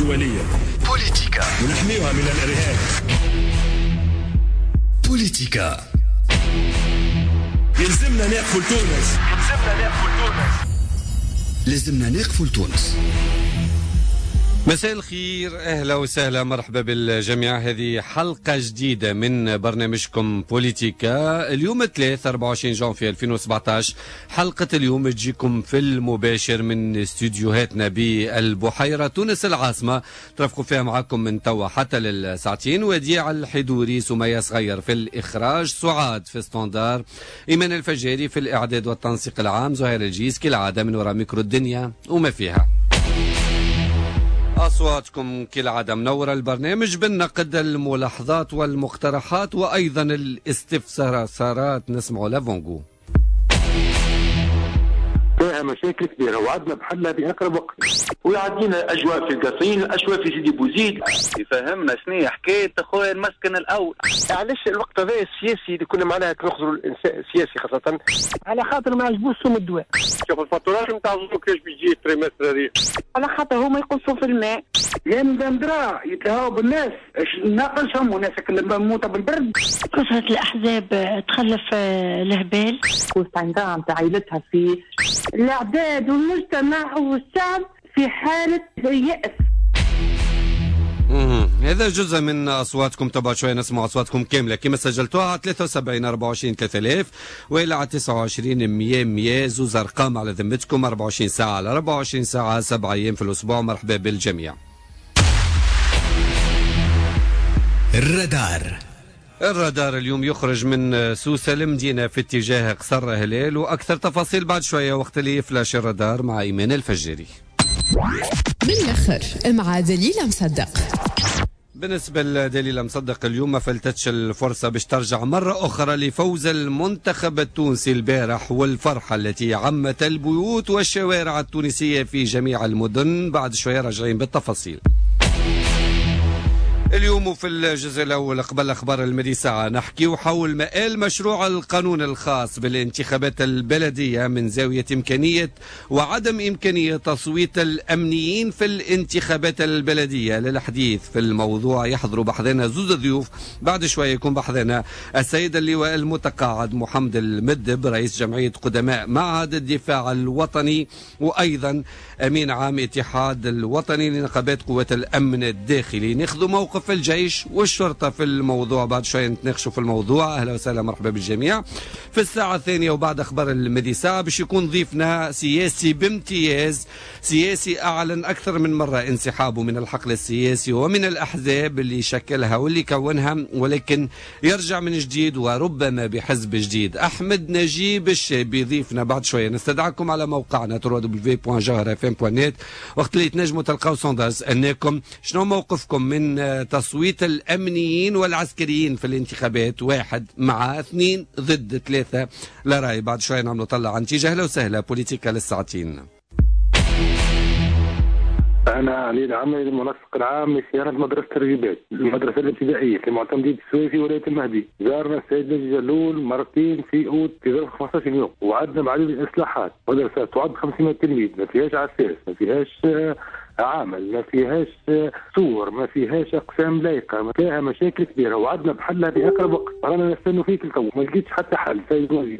الدولية. بوليتيكا. ونحميها من الإرهاب. بوليتيكا. يلزمنا نقفوا لتونس. يلزمنا نقفوا لتونس. لازمنا نقفوا لتونس. مساء الخير، اهلا وسهلا، مرحبا بالجميع. هذه حلقة جديدة من برنامجكم بوليتيكا. اليوم 3 24 جانفي 2017. حلقة اليوم تجيكم في المباشر من استوديوهاتنا بالبحيرة تونس العاصمة، ترافقوا فيها معكم من توا حتى للساعتين. وديع الحدوري، سمية صغير في الإخراج، سعاد في standard، إيمان الفجاري في الإعداد والتنسيق العام، زهير الجيس كالعادة من وراء ميكرو الدنيا وما فيها. أصواتكم كالعادة منورة البرنامج بالنقد، الملاحظات والمقترحات وأيضا الاستفسارات. نسمع لافونغو. فيها مشاكل كبيرة وعدنا بحلها بأقرب وقت، ويعدينا أجواء في القصرين، الأجواء في سيدي بوزيد. يفهمنا شنو حكاية خويا المسكن الأول. علاش الوقت هذا السياسي اللي كنا معناها نخزروا الإنسان السياسي خاصة على خاطر ما عجبوش سوم الدواء. شوف الفاتورات نتاع الزوج كيفاش بيجي ال trimestre هذه، على خاطر هما يقصوا في الماء. يا مدام يتلهوا بالناس ناقصهم وناس اللي موتة بالبرد. كثرة الأحزاب تخلف الهبال. وعندها نتاع عائلتها في الأعداد والمجتمع والشعب في حالة يأس. هذا جزء من أصواتكم. تبع شوية نسمع أصواتكم كاملة كما سجلتوها على 73 24 3000 وإلى على 29 100 100. زوز أرقام على ذمتكم، 24 ساعة على 24 ساعة، 7 أيام في الأسبوع. مرحبا بالجميع. الرادار. الرادار اليوم يخرج من سوسة المدينة في اتجاه قصر هلال، وأكثر تفاصيل بعد شوية وقت اللي فلاش الرادار مع إيمان الفجري. بالآخر مع دليلة مصدق. بالنسبة لدليلة مصدق اليوم ما فلتتش الفرصة باش ترجع مرة أخرى لفوز المنتخب التونسي البارح والفرحة التي عمت البيوت والشوارع التونسية في جميع المدن. بعد شوية راجعين بالتفاصيل. اليوم في الجزء الأول قبل أخبار المدي ساعة نحكي حول مآل مشروع القانون الخاص بالانتخابات البلدية من زاوية إمكانية وعدم إمكانية تصويت الأمنيين في الانتخابات البلدية. للحديث في الموضوع يحضر بحذنا زوز ضيوف. بعد شوية يكون بحذنا السيد اللواء المتقاعد محمد المدب رئيس جمعية قدماء معهد الدفاع الوطني، وأيضا أمين عام اتحاد الوطني لنقابات قوات الأمن الداخلي. ناخذ موقف الجيش والشرطة في الموضوع، بعد شوية نتناقشوا في الموضوع. أهلا وسهلا، مرحبا بالجميع. في الساعة الثانية وبعد أخبار المدي ساعة باش يكون ضيفنا سياسي بامتياز، سياسي أعلن أكثر من مرة انسحابه من الحقل السياسي ومن الأحزاب اللي شكلها واللي كونها، ولكن يرجع من جديد وربما بحزب جديد. أحمد نجيب الشابي ضيفنا بعد شوية. نستدعكم على موقعنا www.jawharafm.net وقت اللي تنجموا تلقاو sondage سألناكم شنو موقفكم من تصويت الأمنيين والعسكريين في الانتخابات. 1 مع 2 ضد 3 لا رأي. بعد شوية نعملوا طلع عن نتيجة. أهلا وسهلا، بوليتيكا للساعتين. أنا علي العمري المنسق العام لصيانة مدرسة الرجبات، المدرسة الابتدائية في معتمدية السويفي ولاية المهدي. زارنا السيد ناجي جلول مرتين في أوت في ظرف 15 يوم، وعدنا بعديد الإصلاحات. مدرسة تعد 500 تلميذ، ما فيهاش عساس، ما فيهاش عامل، ما فيهاش صور، ما فيهاش اقسام لايقة، ما فيها مشاكل كبيرة وعدنا بحلها باقرب وقت. رانا نستنوا فيك التو، ما لقيتش حتى حل. سيد وزير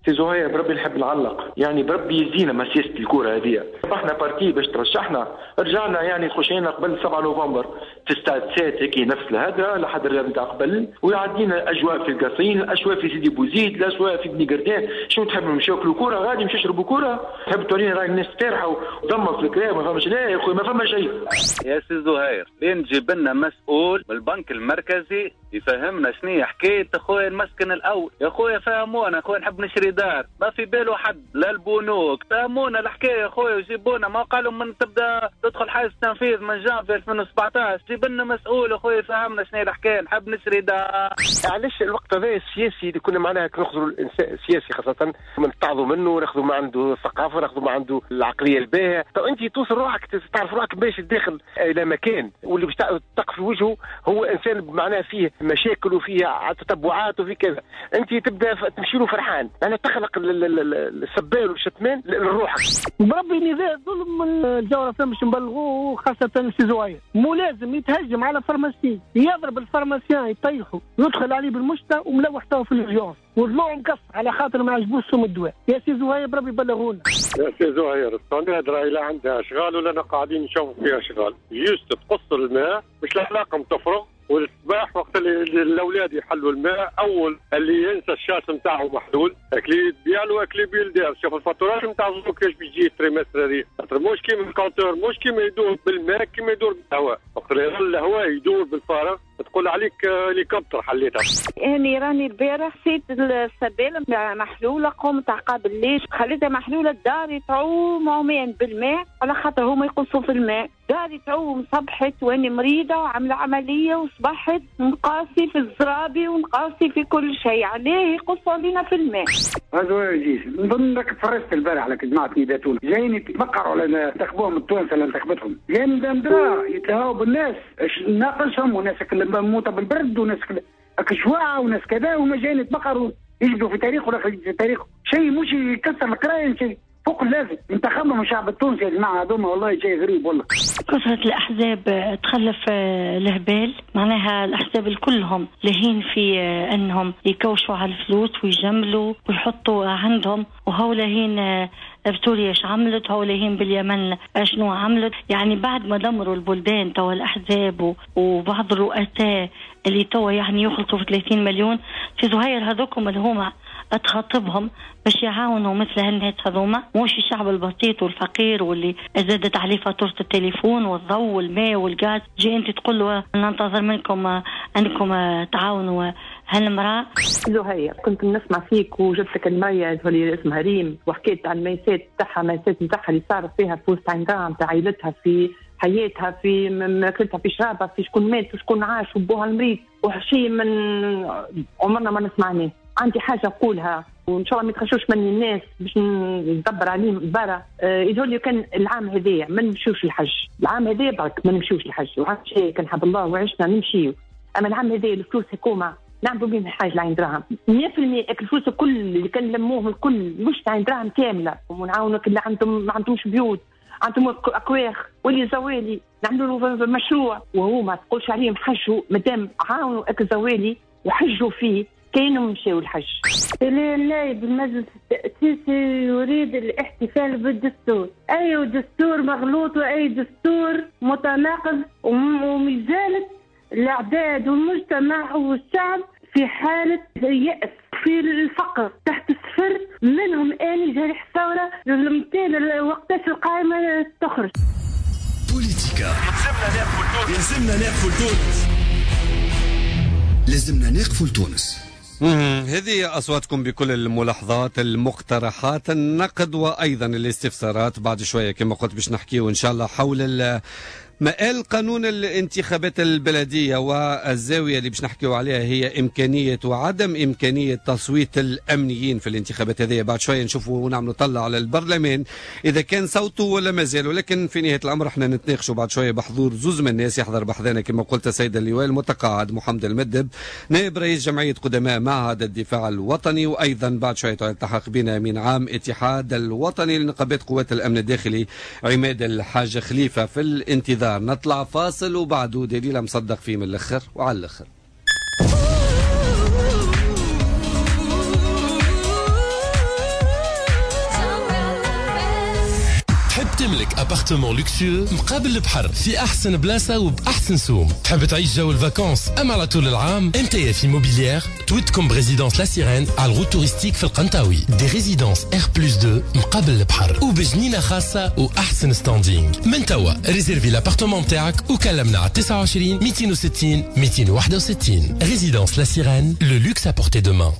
سي زهير بربي نحب نعلق، يعني بربي يزينا ما سياسة الكورة هذه. ربحنا partie باش ترشحنا، رجعنا يعني خشينا قبل 7 نوفمبر في ستاد سات هيك نفس الهدرة لحد الرياض نتاع قبل، ويعدينا اجواء في القصرين، الاجواء في سيدي بوزيد، الاجواء في بني قردان. شنو تحب نمشيو ناكلوا كورة غادي، نمشيو نشربوا كورة؟ تحب تورينا راهي الناس ترحى وتدمر في الكلام؟ ما فهمش. لا يا خويا ما فما شيء. يا سي زهير لين تجيب لنا مسؤول من البنك المركزي يفهمنا شنو حكاية خويا المسكن الأول. يا خويا فهمونا، خويا نحب نشري دار، ما في باله حد لا البنوك. فهمونا الحكاية خويا وجيبونا. ما قالوا من تبدا تدخل حيز التنفيذ من جانفي 2017، جيب جيب لنا مسؤول اخويا يفهمنا شنو الحكاية، نحب نشري دار. علاش الوقت هذا السياسي اللي كنا معناها ناخذوا الانسان السياسي خاصة نتعظوا منه، ناخذوا ما عنده الثقافة، ناخذوا ما عنده العقلية الباهيه. تو انت توصل روحك تعرف روحك باش تدخل الى مكان واللي باش تقف في وجهه هو انسان معناها فيه مشاكل وفيه تتبعات وفيه كذا، انت تبدا تمشي له فرحان، معناها تخلق السبان والشتمان لروحك. بربي نداء ظلم الجوهرة باش نبلغوه، خاصة سي زهير ملازم يتهجم على pharmacien، يضرب ال pharmacien يطيحه، يدخل عليه بالمشتى وملوح تو في الجونس وضلوع مكسر على خاطر ما عجبوش سم الدواء. يا سي زهير بربي بلغونا. يا سي زهير الصناديق راهي لا عندها اشغال ولا قاعدين نشوفوا فيها اشغال، juste تقص الماء مش العلاقة تفرغ، والصباح وقت اللي الاولاد يحلوا الماء اول اللي ينسى ال chasse نتاعو محلول اكلي ديالو اكلي بيلدار. شوف الفاتورات نتاع الضوء كيفاش بيجي ال trimestre هذه، خاطر مش كيما ال compteur، مش كيما يدور بالماء كيما يدور بالهواء، وقت اللي الهواء يدور بالفارغ تقول عليك هليكوبتر حليتها. اني راني البارح سيت السباله محلولة، قمت عقاب الليل خليتها محلولة، داري تعوم عومين بالماء على خاطر هما يقصوا في الماء، داري تعوم صبحت واني مريضه وعامله عملية وصبحت نقاسي في الزرابي ونقاسي في كل شيء، عليه يقصوا علينا في الماء. هذا جيش نظن انك تفرجت البارح على جماعة نداء تونس جايين يتبقروا على انتخبوهم التوانسة اللي انتخبتهم، جايين ندرا يتهاو بالناس ناقصهم وناس موتة بالبرد وناس كشواعة وناس كذا، وما جايين يتبقروا يجدوا في تاريخه ولا في تاريخه شيء مش يكسر القراية شيء فوق اللازم. انتخبهم الشعب التونسي يا جماعة هذوما، والله شيء غريب والله. كثرة الأحزاب تخلف الهبال، معناها الأحزاب كلهم لهين في أنهم يكوشوا على الفلوس ويجملوا ويحطوا عندهم، وهو لهين بسوريا ايش عملت، هو لهين باليمن شنو عملت. يعني بعد ما دمروا البلدان توا الأحزاب وبعض الرؤساء اللي توا يعني يخلطوا في 30 مليون في زهير، هذوكم اللي هما تخاطبهم باش يعاونوا مثل هالناس هذوما، مش الشعب البسيط والفقير واللي زادت عليه فاتورة التليفون والضوء والماء والغاز. جي انت تقول له ننتظر منكم انكم تعاونوا هالمرأة. زهير كنت نسمع فيك وجبت لك المية اللي اسمها ريم، وحكيت عن الميسات تاعها، ميسات نتاعها اللي صار فيها في وسط عندها نتاع عائلتها، في حياتها، في ماكلتها، في شرابها، في شكون مات وشكون عاش وبوها المريض، وشيء من عمرنا ما نسمعناه. عندي حاجة نقولها وان شاء الله ما يتخشوش مني الناس باش ندبر عليهم برا. يقول لي كان العام هذايا ما نمشيوش الحج، العام هذايا برك ما نمشيوش الحج، وعام الجاي كان حب الله وعشنا نمشيو، اما العام هذايا الفلوس حكومة نعملوا بهم حاجة لعين دراهم 100%. الفلوس الكل اللي كان لموهم الكل مش عين دراهم كاملة، ونعاونوا اللي عندهم ما عندهمش بيوت، عندهم اكواخ واللي زوالي نعملوا له مشروع، وهو ما تقولش عليهم حجوا مادام عاونوا اك زوالي وحجوا فيه كانوا مشاو الحج. النائب المجلس التأسيسي يريد الاحتفال بالدستور، أي دستور مغلوط وأي دستور متناقض، ومازالت الأعداد والمجتمع والشعب في حالة يأس، في الفقر تحت الصفر، منهم آني جريح الثورة للمثال وقتاش القائمة تخرج. بوليتيكا يلزمنا نقفوا لتونس، لازمنا نقفوا لتونس. هذه أصواتكم بكل الملاحظات، المقترحات، النقد وأيضا الاستفسارات. بعد شوية كما قلت باش نحكيو إن شاء الله حول مآل قانون الانتخابات البلدية، والزاوية اللي باش نحكيو عليها هي إمكانية وعدم إمكانية تصويت الأمنيين في الانتخابات هذه. بعد شوية نشوفوا ونعملوا طلة على البرلمان إذا كان صوته ولا مازال، ولكن في نهاية الأمر احنا نتناقشوا بعد شوية بحضور زوز من الناس يحضر بحذانا كما قلت السيد اللواء المتقاعد محمد المدب نائب رئيس جمعية قدماء معهد الدفاع الوطني، وأيضا بعد شوية يلتحق بنا أمين عام اتحاد الوطني لنقابات قوات الأمن الداخلي عماد الحاج خليفة. في الانتظار نطلع فاصل وبعده دليل مصدق فيه من الاخر وعلى الاخر. تحب تملك appartement luxueux مقابل البحر في احسن بلاصة وباحسن سوم، تحب تعيش جو ال vacances اما على طول العام؟ MTF Immobilière تودكم ب résidence La Sirène على ال route touristique في القنطاوي، des résidences R plus 2 مقابل البحر وبجنينه خاصة واحسن standing. من توا réserver l'appartement تاعك وكلمنا على 29 260 261. Résidence La Sirène, le luxe à portée de main.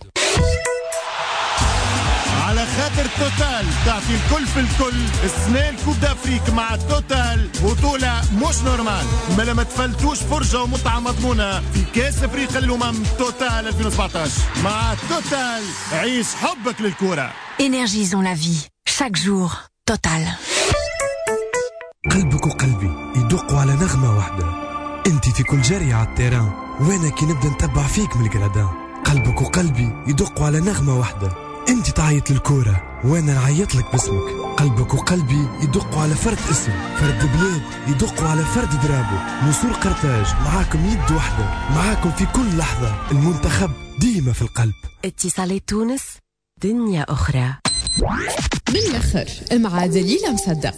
على خاطر خاطر توتال تعطي الكل في الكل. السنة ال Coupe d'Afrique مع توتال بطولة مش normale، ما تفلتوش فرجة ومتعة مضمونة في كاس افريقيا للأمم توتال 2017. مع توتال عيش حبك للكرة. Énergisons la vie chaque jour. Total. قلبك وقلبي يدقوا على نغمة واحدة، انت في كل جري على ال terrain وانا كي نبدا نتبع فيك من ال gradins. قلبك وقلبي يدقوا على نغمة واحدة، انت تعيط للكورة وانا نعيط لك باسمك. قلبك وقلبي يدقوا على فرد اسم، فرد بلاد، يدقوا على فرد drapeau. نسور قرطاج معاكم يد واحدة، معاكم في كل لحظة، المنتخب ديما في القلب. اتصالات تونس، دنيا أخرى. من الآخر مع دليلة مصدق.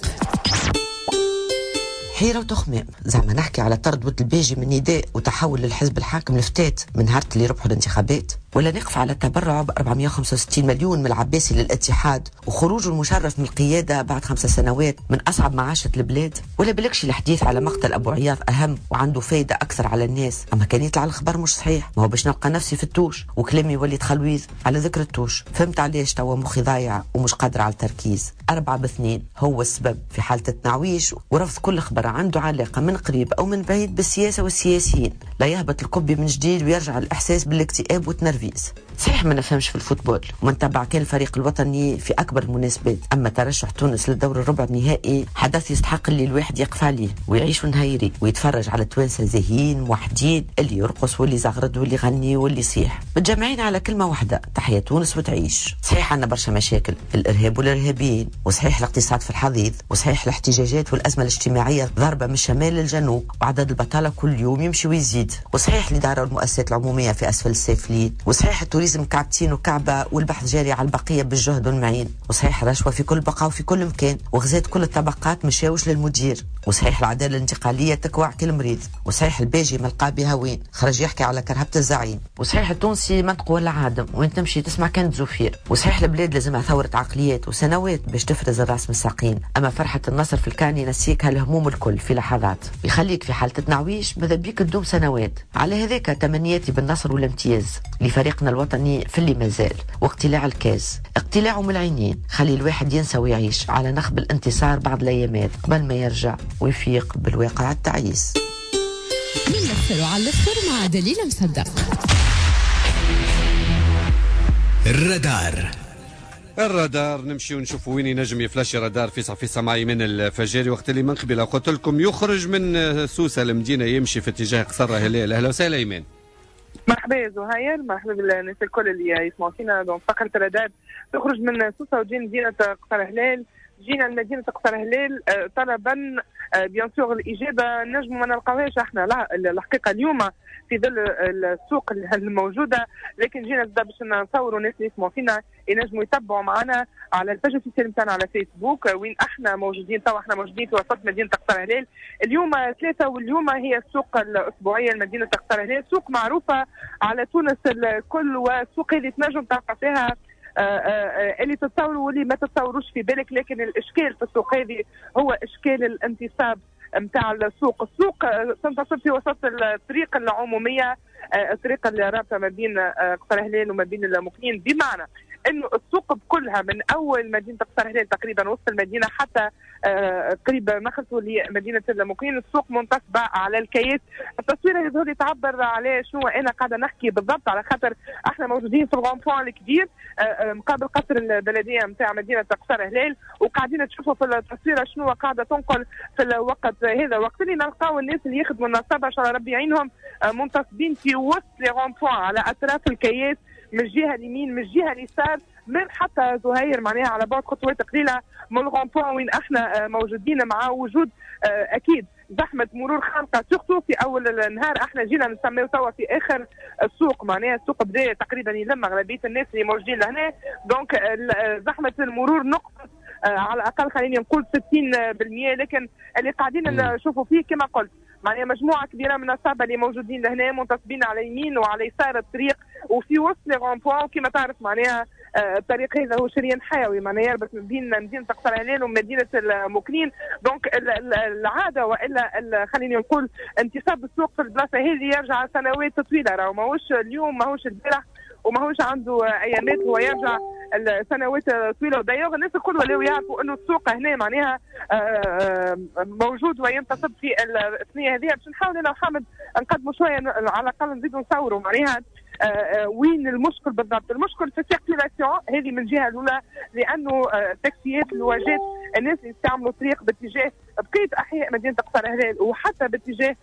حيرة وتخمام، زعما نحكي على طرد ود الباجي من نداء وتحول للحزب الحاكم الفتات من نهار اللي ربحوا الانتخابات، ولا نقف على التبرع ب 465 مليون من العباسي للاتحاد وخروجه المشرف من القيادة بعد 5 سنوات من أصعب معاشة البلاد، ولا بالكش الحديث على مقتل أبو عياض أهم وعنده فايدة أكثر على الناس، أما كان يطلع الخبر مش صحيح، ما هو باش نلقى نفسي في ال touche وكلامي يولي تخلويذ على ذكر ال touche. فهمت علاش توا مخي ضايع ومش قادر على التركيز. 4-2 هو السبب في حالة التنعويش ورفض كل خبر عنده علاقة من قريب أو من بعيد بالسياسة والسياسيين، لا يهبط الكبي من جديد ويرجع الإحساس بالاكتئاب والتنرفيز. صحيح ما نفهمش في ال football وما نتبع كان الفريق الوطني في أكبر المناسبات، أما ترشح تونس للدور الربع النهائي حدث يستحق اللي الواحد يقف عليه ويعيش نهيري ويتفرج على توانسة زاهيين موحدين، اللي يرقص واللي زغرد واللي يغني واللي يصيح، متجمعين على كلمة واحدة: تحيا تونس وتعيش. صحيح عندنا برشا مشاكل، الإرهاب والإرهابيين، وصحيح الاقتصاد في الحضيض، وصحيح الاحتجاجات والأزمة الاجتماعية ضربة من الشمال للجنوب، وعدد البطالة كل يوم يمشي ويزيد، وصحيح الإدارة والمؤسسات العمومية في أسفل السافلين، وصحيح ال tourisme كعبتين وكعبة والبحث جاري على البقية بالجهد والمعين، وصحيح الرشوة في كل بقعة وفي كل مكان وغزات كل الطبقات مشاوش للمدير، وصحيح العدالة الانتقالية تكوع كل مريض، وصحيح الباجي ملقى بها وين خرج يحكي على كرهبة الزعيم، وصحيح التونسي منطق ولا عادم وين تمشي تسمع كان زفير، وصحيح البلاد لازمها ثورة عقليات وسنوات باش تفرز الراس من الساقين، أما فرحة النصر في الكان ينسيك هالهموم الكل في لحظات، يخليك في حالة تنعويش ماذا بيك تدوم سنوات. على هذاك تمنياتي بالنصر والامتياز لفريقنا الوطني في اللي مازال، واقتلاع الكاس، اقتلاعه من العينين، خلي الواحد ينسى ويعيش على نخب الانتصار بعض الايامات قبل ما يرجع ويفيق بالواقع التعيس. من الاخر وعلى الاخر مع دليل مصدق. الرادار، الرادار نمشي ونشوف وين ينجم يفلاشي رادار في سماعي من الفجاري. وقت اللي من قبل قلت لكم يخرج من سوسة المدينة يمشي في اتجاه قصر هلال. اهلا وسهلا ايمان. مرحبا يا زهير، مرحبا بالناس الكل اللي يسمعوا فينا. donc فقرة الرادار تخرج من سوسة وتجي مدينة قصر هلال. جينا لمدينة قصر هلال طلبا bien sûr الإجابة نجم ما نلقاوهاش احنا لا الحقيقة اليوم في ظل السوق الموجودة، لكن جينا زاد باش نصوروا الناس اللي يسمعوا فينا ينجموا يتبعوا معنا على ال page officielle نتاعنا على فيسبوك وين احنا موجودين. توا احنا موجودين في وسط مدينة قصر هلال اليوم 3، واليوم هي السوق الأسبوعية لمدينة قصر هلال، سوق معروفة على تونس الكل، والسوق اللي تنجم تلقى فيها اللي تتصوروا واللي ما تتصوروش في بالك. لكن الاشكال في السوق هذه هو اشكال الانتصاب نتاع السوق. السوق تنتصب في وسط الطريق العمومية، الطريق اللي رابطه ما بين قصر هلال وما بين المقيمين، بمعنى انه السوق بكلها من اول مدينة قصر هلال تقريبا وسط المدينة حتى قريب مخلصوا لمدينة المقيم، السوق منتصبه على الكياس. التصويره يظهر لي تعبر على شنو انا قاعدة نحكي بالضبط، على خاطر احنا موجودين في ال rond-point الكبير مقابل قصر البلدية نتاع مدينة قصر هلال، وقاعدين تشوفوا في التصويره شنو قاعدة تنقل في الوقت هذا. وقت اللي نلقاو الناس اللي يخدموا النصابه ان شاء الله ربي يعينهم منتصبين في وسط les ronds-points على اطراف الكياس من الجهة اليمين من الجهة اليسار، من حتى زهير معناها على بعد خطوات قليله من ال rond-point وين احنا موجودين، مع وجود اكيد زحمة مرور خانقه surtout في اول النهار. احنا جينا نسميو توا في اخر السوق، معناها السوق بدا تقريبا يلم اغلبية الناس اللي موجودين لهنا، donc زحمة المرور نقصت على الاقل خليني نقول 60%. لكن اللي قاعدين نشوفوا فيه كما قلت معناها مجموعة كبيرة من النصابه اللي موجودين لهنا منتصبين على يمين وعلى يسار الطريق وفي وسط les ronds-points. وكما تعرف معناها الطريق هذا هو شريان حيوي، معناها يربط بين مدينة قصر هلال ومدينة المقنين. donc العادة والا خليني نقول انتصاب السوق في البلاصة هذه يرجع سنوات طويلة، راهو ماهوش اليوم ماهوش البارح. وماهوش عنده ايامات، هو يرجع السنوات طويلة. ودايوغ الناس الكل ولاو يعرفوا انه السوق هنا معناها موجود وينتصب في الثنية هذه. باش نحاول انا وحامد نقدموا شوية، على الاقل نزيدوا نصوروا معناها وين المشكل بالضبط. المشكل في ال circulation هذه من الجهة الاولى، لانه التاكسيات الواجات الناس اللي يستعملوا الطريق باتجاه بقية احياء مدينة قصر هلال وحتى باتجاه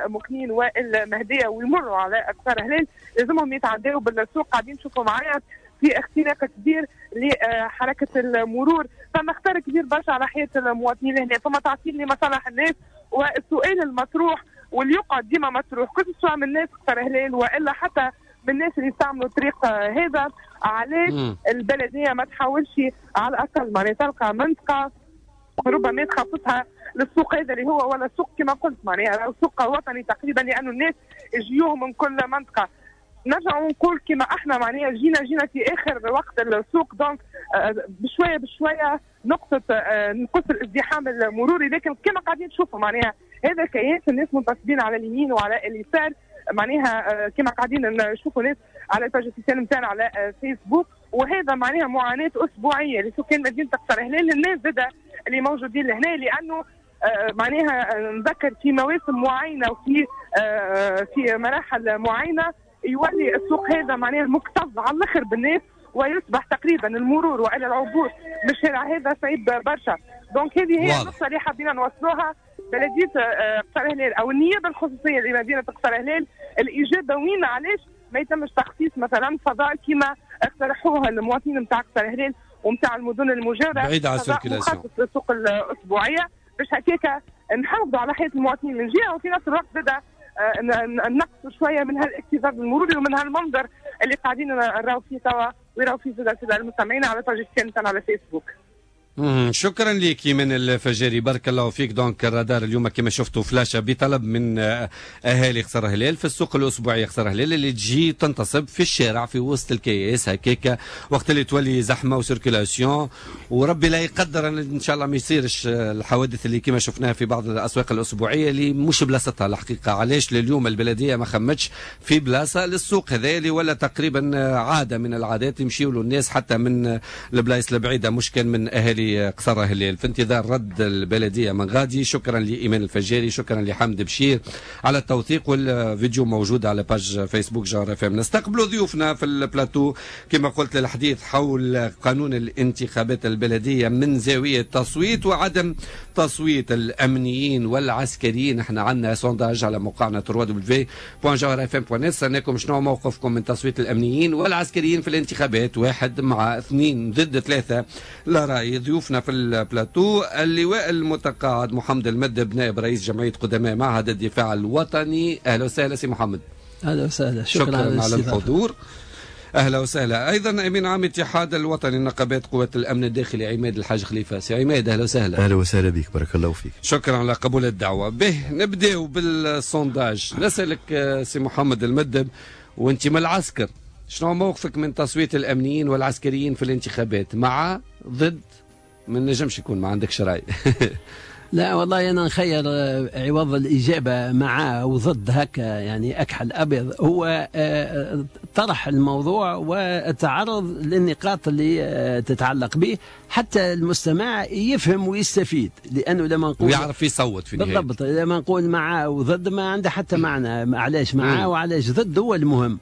المكنين والمهديه ويمروا على قصر هلال لازمهم يتعداوا بالسوق. قاعدين نشوفوا معايا في اختناق كبير لحركة المرور، فما خطر كبير برشا على حياة المواطنين هنا، فما تعطيل لمصالح الناس. والسؤال المطروح واللي يقعد ديما مطروح كل سواء من الناس قصر هلال والا حتى من الناس اللي يستعملوا الطريق هذا، علاش البلدية ما تحاولش على الاقل معناها تلقى منطقة ربما تخصصها للسوق هذا اللي هو ولا سوق كما قلت معناها سوق وطني تقريبا، لانه الناس يجيوهم من كل منطقة. نرجع ونقول كما احنا معناها جينا في اخر وقت السوق، donc بشوية بشوية نقص الازدحام المروري، لكن كما قاعدين تشوفوا معناها هذا كياس الناس منتصبين على اليمين وعلى اليسار، معناها كما قاعدين نشوفوا ناس على ال page officielle نتاعنا على فيسبوك، وهذا معناها معاناة اسبوعية لسكان مدينة قصر هلال، الناس زاده اللي موجودين لهنا، لانه معناها نذكر في مواسم معينة وفي في مراحل معينة يولي السوق هذا معناها مكتظ على الاخر بالناس، ويصبح تقريبا المرور والى العبور من الشارع هذا صعيب برشا. donc هذه هي النقطة اللي حابين نوصلوها بلديه قصر هلال او النيابة الخصوصية لمدينة قصر هلال، الاجابة وين علاش ما يتمش تخصيص مثلا فضاء كما اقترحوها المواطنين نتاع قصر هلال ومتاع المدن المجاورة بعيد على ال circulation، مخصص للسوق الاسبوعية، باش هكاك نحافظوا على حياة المواطنين من جهة، وفي نفس الوقت زاد نقصوا شوية من هالاكتظاظ المروري ومن هالمنظر اللي قاعدين نراو فيه توا ويراو فيه زاد المستمعين على page نتاعنا على فيسبوك. شكرا لك من الفجاري، بارك الله فيك. donc الرادار اليوم كما شفتوا فلاشة بطلب من اهالي قصر هلال في السوق الاسبوعي قصر هلال اللي تجي تنتصب في الشارع في وسط الكياس هكاك وقت اللي تولي زحمة و circulation، وربي لا يقدر ان شاء الله ما يصيرش الحوادث اللي كما شفناها في بعض الاسواق الاسبوعية اللي مش بلاصتها الحقيقة. علاش لليوم البلدية ما خمتش في بلاصة للسوق هذا اللي ولا تقريبا عادة من العادات يمشيوا له الناس حتى من البلايص البعيدة مش كان من اهالي قصر هلال. في انتظار رد البلدية من غادي. شكرا لإيمان الفجاري، شكرا لحمد بشير على التوثيق، والفيديو موجود على page فيسبوك جوهرة اف ام. نستقبلوا ضيوفنا في البلاتو كما قلت للحديث حول قانون الانتخابات البلدية من زاوية تصويت وعدم تصويت الأمنيين والعسكريين. احنا عندنا sondage على موقعنا www.jawharafm.net، سألناكم شنو موقفكم من تصويت الأمنيين والعسكريين في الانتخابات، 1 مع 2 ضد 3 لا رأي. ضيوفنا في البلاتو اللواء المتقاعد محمد المدب نائب رئيس جمعية قدماء معهد الدفاع الوطني. أهلا وسهلا سي محمد. أهلا وسهلا، شكرا على الحضور. أهلا وسهلا. أيضا أمين عام اتحاد الوطني لنقابات قوات الأمن الداخلي عماد الحاج خليفة. سي عماد أهلا وسهلا. أهلا وسهلا بك، بارك الله فيك. شكرا على قبول الدعوة. به نبدأ بال sondage. نسألك سي محمد المدب وأنت من العسكر، شنو موقفك من تصويت الأمنيين والعسكريين في الانتخابات، مع ضد؟ ما نجمش يكون ما عندكش رأي. لا والله أنا نخير عوض الإجابة مع وضد هكا يعني أكحل أبيض، هو طرح الموضوع والتعرض للنقاط اللي تتعلق به حتى المستمع يفهم ويستفيد، لأنه لما نقول ويعرف يصوت في النهاية. بالضبط، لما نقول مع وضد ما عنده حتى معنى، علاش مع وعلاش ضد هو المهم.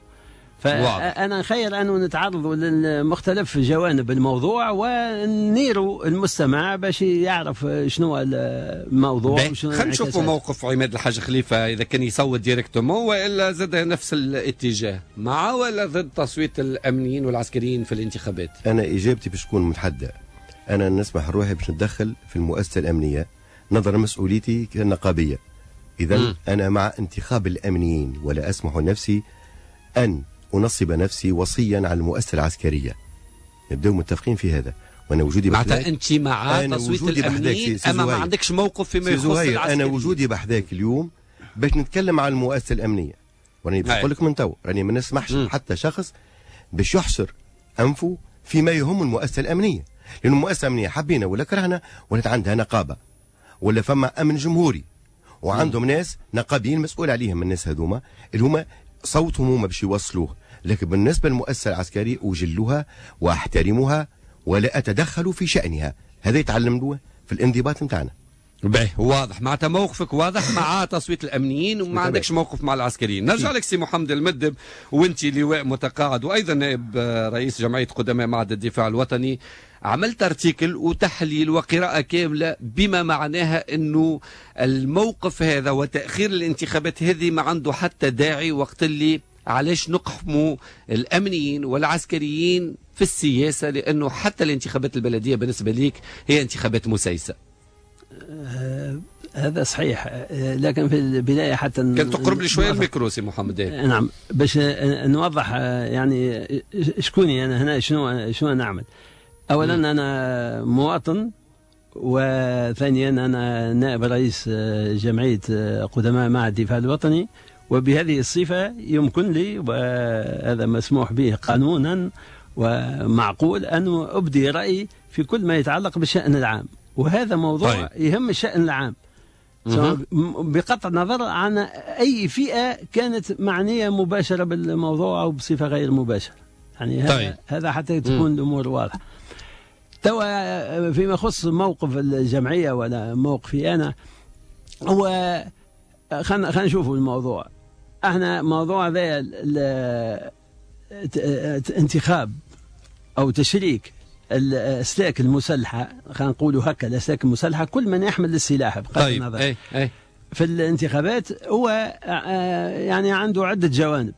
فأنا خير أنه نتعرض لمختلف جوانب الموضوع ونيروا المستمع باش يعرف شنو الموضوع. خلينا نشوفوا موقف عماد الحاج خليفة إذا كان يصوت directement وإلا زاد نفس الاتجاه، مع ولا ضد تصويت الأمنيين والعسكريين في الانتخابات؟ أنا إجابتي باش تكون متحدة، أنا نسمح روحي باش نتدخل في المؤسسة الأمنية نظرا مسؤوليتي كنقابية. إذا أنا مع انتخاب الأمنيين ولا أسمح لنفسي أن أنصب نفسي وصيا على المؤسسة العسكرية. نبداو متفقين في هذا. وأنا وجودي معناتها أنت مع تصويت الأمنيين أما ما عندكش موقف فيما يخص العسكريين. أنا وجودي بحذاك اليوم باش نتكلم على المؤسسة الأمنية، وراني نقول لك من تو راني ما نسمحش حتى شخص باش يحصر أنفه فيما يهم المؤسسة الأمنية، لأن المؤسسة الأمنية حبينا ولا كرهنا ولات عندها نقابة ولا فما أمن جمهوري وعندهم ناس نقابيين مسؤول عليهم. الناس هذوما اللي هما صوتهم هما باش يوصلوه. لكن بالنسبة للمؤسسة العسكرية أجلها وأحترمها ولا أتدخل في شأنها. هذا يتعلم في الانضباط نتاعنا. باهي، واضح معناتها موقفك واضح مع تصويت الامنيين وما عندكش موقف مع العسكريين. نرجع لك سي محمد المدب، وانت لواء متقاعد وايضا نائب رئيس جمعية قدماء معهد الدفاع الوطني. عملت article وتحليل وقراءة كاملة بما معناها انه الموقف هذا وتاخير الانتخابات هذه ما عنده حتى داعي، وقت اللي علاش نقحموا الامنيين والعسكريين في السياسة، لانه حتى الانتخابات البلدية بالنسبة ليك هي انتخابات مسيسه. هذا صحيح، لكن في البداية حتى كان تقرب لي شوية الميكرو سي محمد. نعم، باش نوضح يعني شكوني انا هنا، شنو نعمل. اولا انا مواطن، وثانيا انا نائب رئيس جمعية قدماء معهد الدفاع الوطني، وبهذه الصفة يمكن لي، وهذا مسموح به قانونا ومعقول، ان ابدي رايي في كل ما يتعلق بالشان العام، وهذا موضوع طيب. يهم الشأن العام بقطع النظر عن أي فئة كانت معنية مباشرة بالموضوع أو بصفة غير مباشرة. يعني هذا, طيب. هذا حتى تكون الأمور واضحة. توا فيما يخص موقف الجمعية ولا موقفي أنا، هو خلينا نشوفوا الموضوع. احنا موضوع هذا انتخاب أو تشريك الأسلاك المسلحة، خلينا نقولوا هكا، الأسلاك المسلحة كل من يحمل السلاح بغض طيب. النظر أي. في الانتخابات، هو يعني عنده عدة جوانب.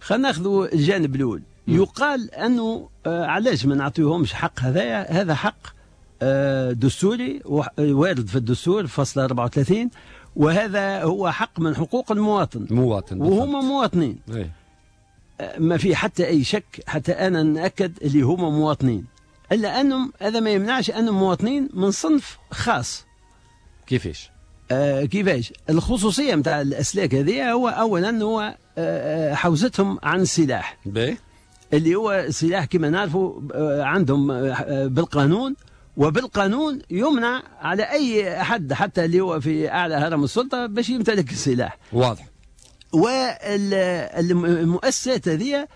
خلينا ناخذوا الجانب الأول. يقال أنه علاش ما نعطيوهمش حق هذايا؟ هذا حق دستوري وارد في الدستور فصل 34، وهذا هو حق من حقوق المواطن، وهم مواطنين. ما في حتى أي شك، حتى أنا نأكد اللي هما مواطنين، إلا أنهم هذا ما يمنعش أنهم مواطنين من صنف خاص. كيفاش؟ كيفاش؟ الخصوصية متاع الأسلاك هذه هو أولا هو حوزتهم عن السلاح. اللي هو السلاح كما نعرفوا عندهم بالقانون، وبالقانون يمنع على أي أحد حتى اللي هو في أعلى هرم السلطة باش يمتلك السلاح. واضح. والمؤسسات هذه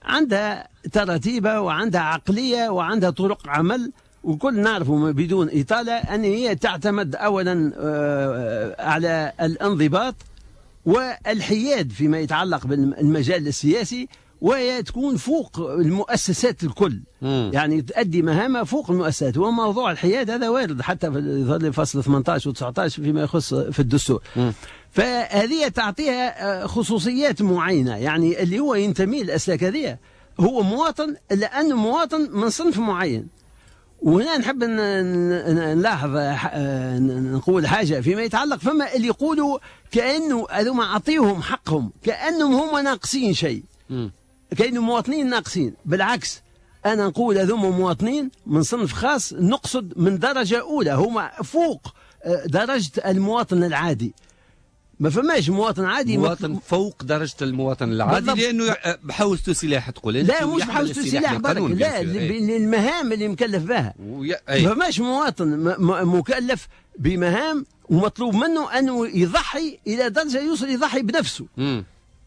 عندها تراتيبة وعندها عقلية وعندها طرق عمل، وكل نعرفه بدون إطالة أن هي تعتمد أولا على الانضباط والحياد فيما يتعلق بالمجال السياسي، وهي تكون فوق المؤسسات الكل. يعني تؤدي مهامها فوق المؤسسات. وموضوع الحياد هذا وارد حتى في فصل 18 و19 فيما يخص في الدستور. فهذه تعطيها خصوصيات معينة، يعني اللي هو ينتمي للأسلاك هذه هو مواطن لأنه مواطن من صنف معين. وهنا نحب نلاحظ نقول حاجة فيما يتعلق، فما اللي يقولوا كأنه هذوما عطيهم حقهم كأنهم هم ناقصين شيء، كأنه مواطنين ناقصين. بالعكس، أنا نقول هذوما مواطنين من صنف خاص، نقصد من درجة أولى، هما فوق درجة المواطن العادي. ما فماش مواطن عادي، مواطن فوق درجة المواطن العادي، لأنه بحوزته سلاح. تقول أنت؟ لا، مش بحوزته سلاح برك، لا، للمهام اللي مكلف بها. ما فماش مواطن مكلف بمهام ومطلوب منه أنه يضحي إلى درجة يوصل يضحي بنفسه.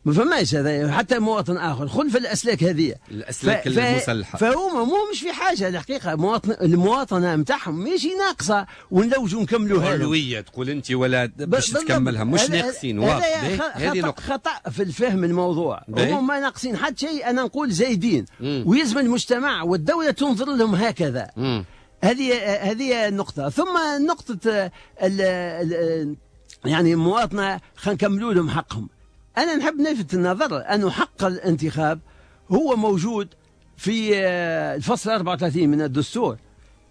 ما فماش هذا حتى مواطن آخر خلف الأسلاك هذه، الأسلاك المسلحة. فهما مو مش في حاجة الحقيقة، المواطنة نتاعهم ماشي ناقصة ونلوجوا نكملوها. علوية تقول أنت ولا باش تكملها، مش ناقصين. واضح، هذه نقطة خطأ في الفهم الموضوع. هما ما ناقصين حتى شيء، أنا نقول زايدين، ويلزم المجتمع والدولة تنظر لهم هكذا. هذه النقطة. ثم نقطة يعني المواطنة، خلينا نكملوا لهم حقهم. أنا نحب نلفت النظر أنه حق الانتخاب هو موجود في الفصل 34 من الدستور،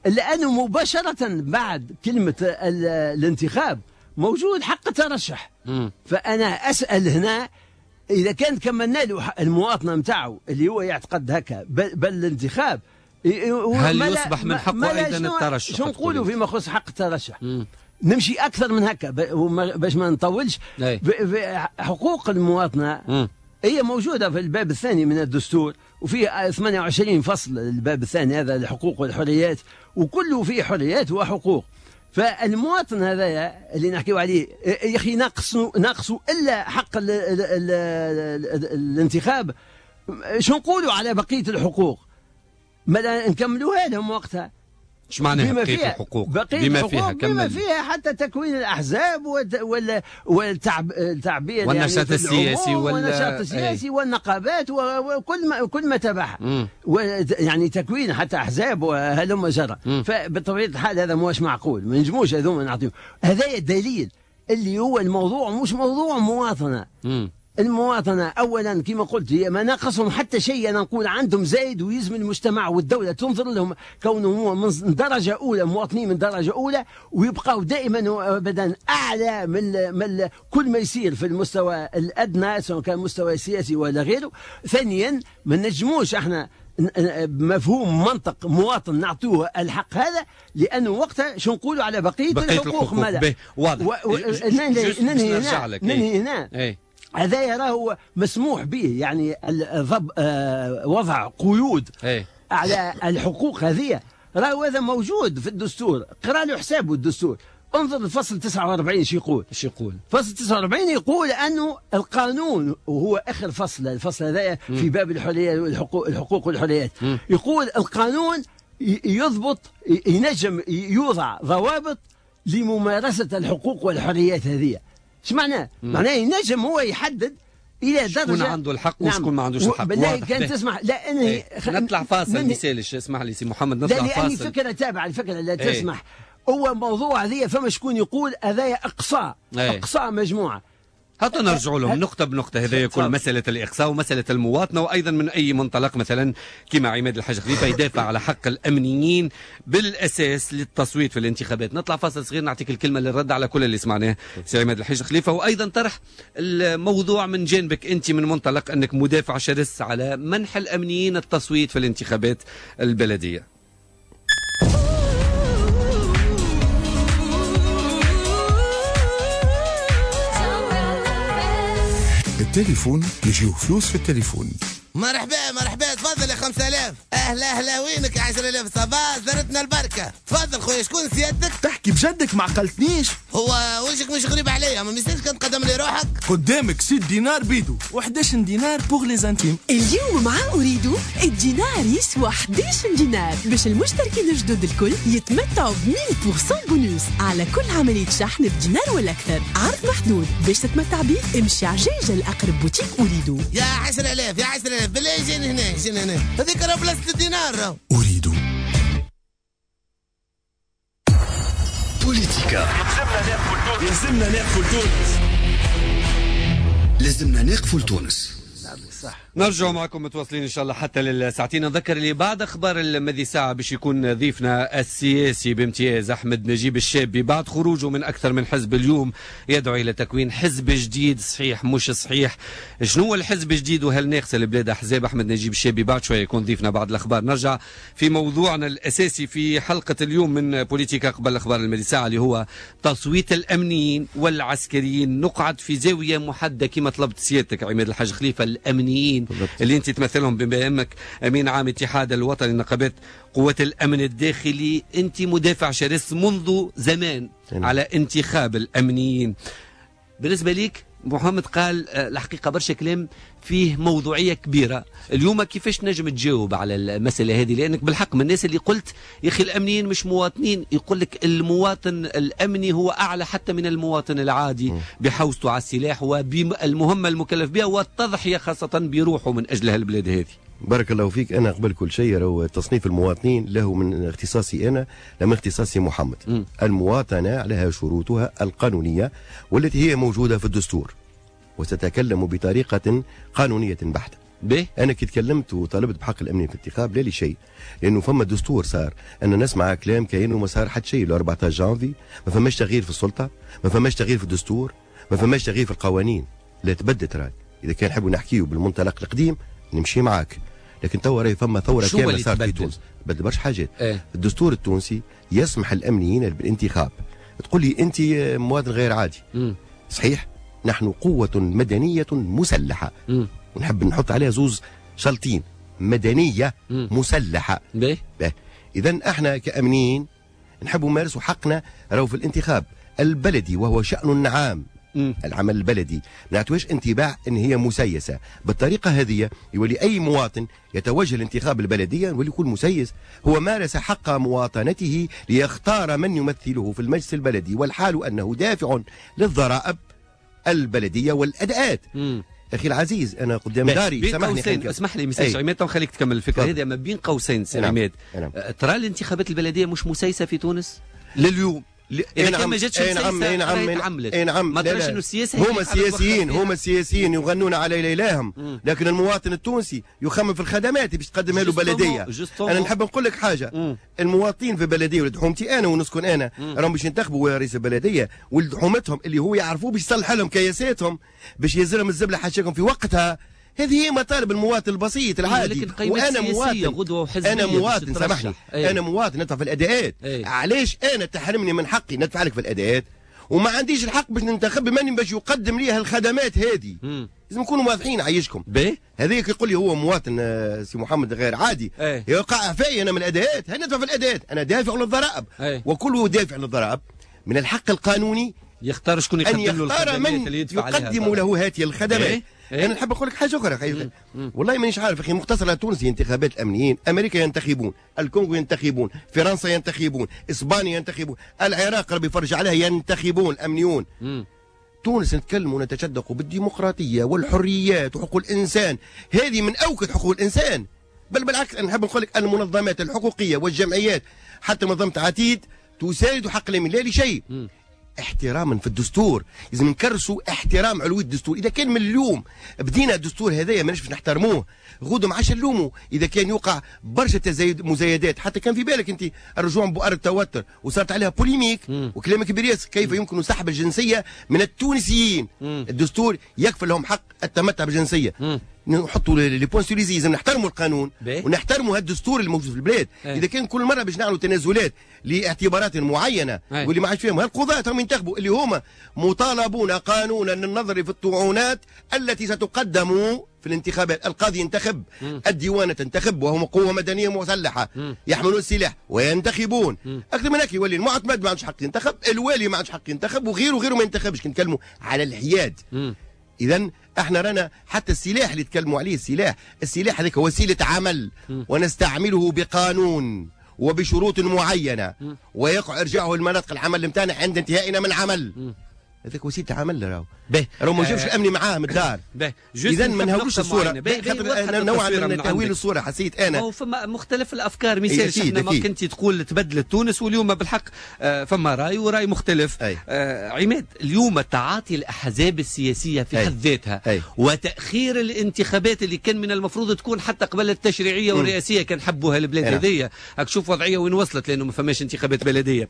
لأنه مباشرة بعد كلمة الانتخاب موجود حق الترشح. فأنا أسأل هنا، إذا كان كملنا له المواطنة متاعه اللي هو يعتقد هكا بل الانتخاب، هل يصبح من حقه أيضا الترشح؟ شو نقولوا فيما يخص حق الترشح؟ نمشي أكثر من هكا باش ما نطولش. حقوق المواطنة هي موجودة في الباب الثاني من الدستور، وفيه 28 فصل الباب الثاني هذا الحقوق والحريات، وكله فيه حريات وحقوق. فالمواطن هذايا اللي نحكيو عليه يا اخي ناقصوا الا حق ال ال ال ال الانتخاب، شو نقولوا على بقية الحقوق؟ ما نكملوها لهم وقتها. ايش معناها بقية الحقوق؟ بما فيها بما فيها حتى تكوين الاحزاب والتعبير والنشاط يعني السياسي والنشاط السياسي والنقابات وكل ما تبعها، يعني تكوين حتى احزاب وهلم جرى. فبطبيعه الحال هذا مش معقول، ما نجموش هذوما نعطيهم. هذا الدليل اللي هو الموضوع مش موضوع مواطنه. المواطنة أولا كما قلت هي ما ناقصهم حتى شيء، أنا نقول عندهم زايد ويلزم المجتمع والدولة تنظر لهم كونهم هو من درجة أولى، مواطنين من درجة أولى، ويبقوا دائما وأبدا أعلى من كل ما يصير في المستوى الأدنى سواء كان مستوى سياسي ولا غيره. ثانيا ما نجموش احنا مفهوم منطق مواطن نعطوه الحق هذا، لأنه وقتها شو نقولوا على بقية الحقوق؟ مالا واضح. ننهي هنا. هذا راهو مسموح به، يعني وضع قيود على الحقوق هذه راهو هذا موجود في الدستور، قرأ له حسابه الدستور. انظر الفصل 49 شو يقول؟ شو يقول؟ فصل 49 يقول أنه القانون، وهو آخر فصل، الفصل هذا في باب الحرية الحقوق والحريات، يقول القانون يضبط، ينجم يوضع ضوابط لممارسة الحقوق والحريات هذه. ايش معناه؟ معناه ينجم هو يحدد الى درجه شكون عنده الحق وشكون ما عندوش الحق. بالله كان تسمح لا انهي نطلع فاصل، ما يسالش، اسمح لي سي محمد نطلع لا فاصل. لاني فكرة تابعه الفكرة لا تسمح. هو موضوع هذه فما شكون يقول هذايا اقصاء، اقصاء مجموعة. حتى نرجعوا لهم نقطة بنقطة، هذا يكون مسألة الإقصاء ومسألة المواطنة، وأيضا من أي منطلق مثلا كما عماد الحاج خليفة يدافع على حق الأمنيين بالأساس للتصويت في الانتخابات. نطلع فاصل صغير نعطيك الكلمة للرد على كل اللي سمعناه سي عماد الحاج خليفة، وأيضا طرح الموضوع من جانبك أنت من منطلق أنك مدافع شرس على منح الأمنيين التصويت في الانتخابات البلدية. التليفون يجيو فلوس في التليفون. مرحبا مرحبا، تفضل يا 5000. اهلا اهلا، وينك يا 10000؟ صباح زرتنا البركة. تفضل خويا، شكون سيادتك؟ تحكي بجدك ما عقلتنيش. هو وجهك مش غريب عليا، ما ميسالش كان تقدم لي روحك. قدامك 6 دينار بيدو و11 دينار pour les intimes. اليوم مع أوريدو الدينار يسوى 11 دينار باش المشتركين الجدد الكل يتمتعوا ب 1000% بونوس على كل عملية شحن بدينار ولا أكثر. عرض محدود باش تتمتع به، امشي عجاجة لأقرب بوتيك أوريدو. يا 10000 يا 10000 بالله، جيني هنا جيني هنا، هذيك راه بلاصة الدينار راه. أريد بوليتيكا. لازمنا نقفوا لتونس، لازمنا نقفوا لتونس. نرجع معكم متواصلين ان شاء الله حتى للساعتين. نذكر اللي بعد اخبار الماضي ساعة باش يكون ضيفنا السياسي بامتياز احمد نجيب الشابي بعد خروجه من اكثر من حزب اليوم يدعو الى تكوين حزب جديد. صحيح مش صحيح؟ شنو هو الحزب الجديد وهل ناقص البلاد احزاب؟ احمد نجيب الشابي بعد شوية يكون ضيفنا بعد الاخبار. نرجع في موضوعنا الاساسي في حلقة اليوم من بوليتيكا قبل اخبار الماضي ساعة اللي هو تصويت الامنيين والعسكريين. نقعد في زاوية محددة كما طلبت سيادتك عماد الحاج خليفة، الامنيين اللي انت تمثلهم بما انك امين عام اتحاد الوطني لنقابات قوات الامن الداخلي، انت مدافع شرس منذ زمان على انتخاب الامنيين. بالنسبة ليك محمد قال الحقيقة برشا كلام فيه موضوعية كبيرة، اليوم كيفاش نجم تجاوب على المسالة هذه؟ لانك بالحق من الناس اللي قلت يا اخي الامنيين مش مواطنين، يقول لك المواطن الامني هو اعلى حتى من المواطن العادي بحوزته على السلاح وبالمهمه المكلف بها والتضحية خاصة بروحه من اجل هالبلاد هذه. بارك الله فيك. انا قبل كل شيء راهو تصنيف المواطنين له من اختصاصي انا لا من اختصاصي محمد. المواطنة لها شروطها القانونية والتي هي موجودة في الدستور، وستتكلم بطريقة قانونية بحته. انا كي تكلمت وطالبت بحق الامني في الانتخاب لا لشيء، لانه فما دستور صار ان نسمع كلام كانه ما صار حتى شيء. 14 جانفي ما فماش تغيير في السلطة، ما فماش تغيير في الدستور، ما فماش تغيير في القوانين، لا تبدت راي. اذا كان نحبوا نحكيو بالمنطلق القديم نمشي معاك، لكن توا راهي فما ثورة كاملة صارت في تونس، بدل برشا حاجات. الدستور التونسي يسمح الامنيين بالانتخاب. تقول لي انت مواطن غير عادي. صحيح، نحن قوة مدنية مسلحة. ونحب نحط عليها زوز شلطين، مدنية مسلحة. اذا احنا كامنيين نحبوا نمارسوا حقنا راهو في الانتخاب البلدي وهو شأن عام. العمل البلدي ما نعطوهاش انطباع ان هي مسيسه. بالطريقة هذه يولي اي مواطن يتوجه لانتخاب البلدية يولي يكون مسيس. هو مارس حق مواطنته ليختار من يمثله في المجلس البلدي، والحال انه دافع للضرائب البلدية والاداءات. اخي العزيز انا قدام داري، سامحني اسمح لي مساج عماد خليك تكمل الفكرة هذه. ما بين قوسين سي عماد، ترى الانتخابات البلدية مش مسيسه في تونس لليوم؟ إذا كان ما جاتش مسيسة نعم، ما تراش انه السياسة هما السياسيين يغنون على ليلاهم، لكن المواطن التونسي يخمم في الخدمات باش تقدمها له بلدية. انا نحب نقول لك حاجة، المواطنين في بلدية ولد حومتي انا ونسكن انا راهم باش ينتخبوا رئيس البلدية ولد حومتهم اللي هو يعرفوه باش يصلح لهم كياساتهم، باش يزرهم الزبلة حاشاكم في وقتها. هذه هي مطالب المواطن البسيط العادي. وانا مواطن، انا مواطن سامحني، انا مواطن ندفع في الاداءات. علاش انا تحرمني من حقي ندفع لك في الاداءات وما عنديش الحق باش ننتخب من باش يقدم لي هالخدمات هذه؟ لازم نكونوا واضحين عايشكم. هذاك يقول لي هو مواطن سي محمد غير عادي، يوقع عفاي انا من الاداءات، هل ندفع في الاداءات؟ انا دافع للضرائب، وكله دافع للضرائب من الحق القانوني يختار شكون يقدم له الخدمات اللي يدفع عليها، يقدم له هذه الخدمات. انا نحب نقول لك حاجة اخرى، والله مانيش عارف اخي، مختصر تونسي انتخابات الامنيين، امريكا ينتخبون، الكونغو ينتخبون، فرنسا ينتخبون، اسبانيا ينتخبون، العراق ربي يفرج عليها ينتخبون الامنيون. تونس نتكلم ونتشدق بالديمقراطية والحريات وحقوق الانسان، هذه من اوكد حقوق الانسان. بل بالعكس انا نحب نقول لك المنظمات الحقوقية والجمعيات حتى منظمة عتيد تساند حق الامن لا لشيء، احتراما في الدستور. لازم نكرسوا احترام علوية الدستور. اذا كان من اليوم بدينا الدستور هذايا ماناش باش نحترموه، غدو ما عادش نلوموا اذا كان يوقع برشا تزايد مزايدات. حتى كان في بالك انت الرجوع بؤر التوتر وصارت عليها polémique وكلام كبير ياسر، كيف يمكن سحب الجنسية من التونسيين؟ الدستور يكفل لهم حق التمتع بالجنسيه. نحطوا les points sur les i، لازم نحترموا القانون ونحترموا هالدستور الموجود في البلاد. اذا كان كل مرة باش نعملوا تنازلات لاعتبارات معينة واللي ما عادش فيهم هالقضاة هم ينتخبوا اللي هما مطالبون قانونا للنظر في الطعونات التي ستقدم في الانتخابات. القاضي ينتخب، الديوانه تنتخب، وهم قوة مدنية مسلحة يحملون السلاح وينتخبون. اكثر من هيك يولي المعتمد ما عندوش حق ينتخب، الوالي ما عندوش حق ينتخب، وغيره وغيره ما ينتخبش. كي نتكلموا على الحياد، اذا احنا رانا حتى السلاح اللي تكلموا عليه، السلاح هذاك وسيلة عمل ونستعمله بقانون وبشروط معينة ويقع ارجاعه لمناطق العمل نتاعنا عند انتهائنا من العمل. هذاك وسيلة عمل راهو راهو ما جابش الامن معاه من الدار. اذا ما نهولوش الصورة، خاطر نوعا من تهويل الصورة حسيت انا. هو فما مختلف الافكار، مثال احنا ما كنت تقول تبدلت تونس، واليوم بالحق فما راي وراي مختلف. عماد، اليوم تعاطي الاحزاب السياسية في حد ذاتها وتاخير الانتخابات اللي كان من المفروض تكون حتى قبل التشريعية والرئاسيه كان حبوها البلاد هذيا، هاك شوف وضعية وين وصلت لانه ما فماش انتخابات بلديه.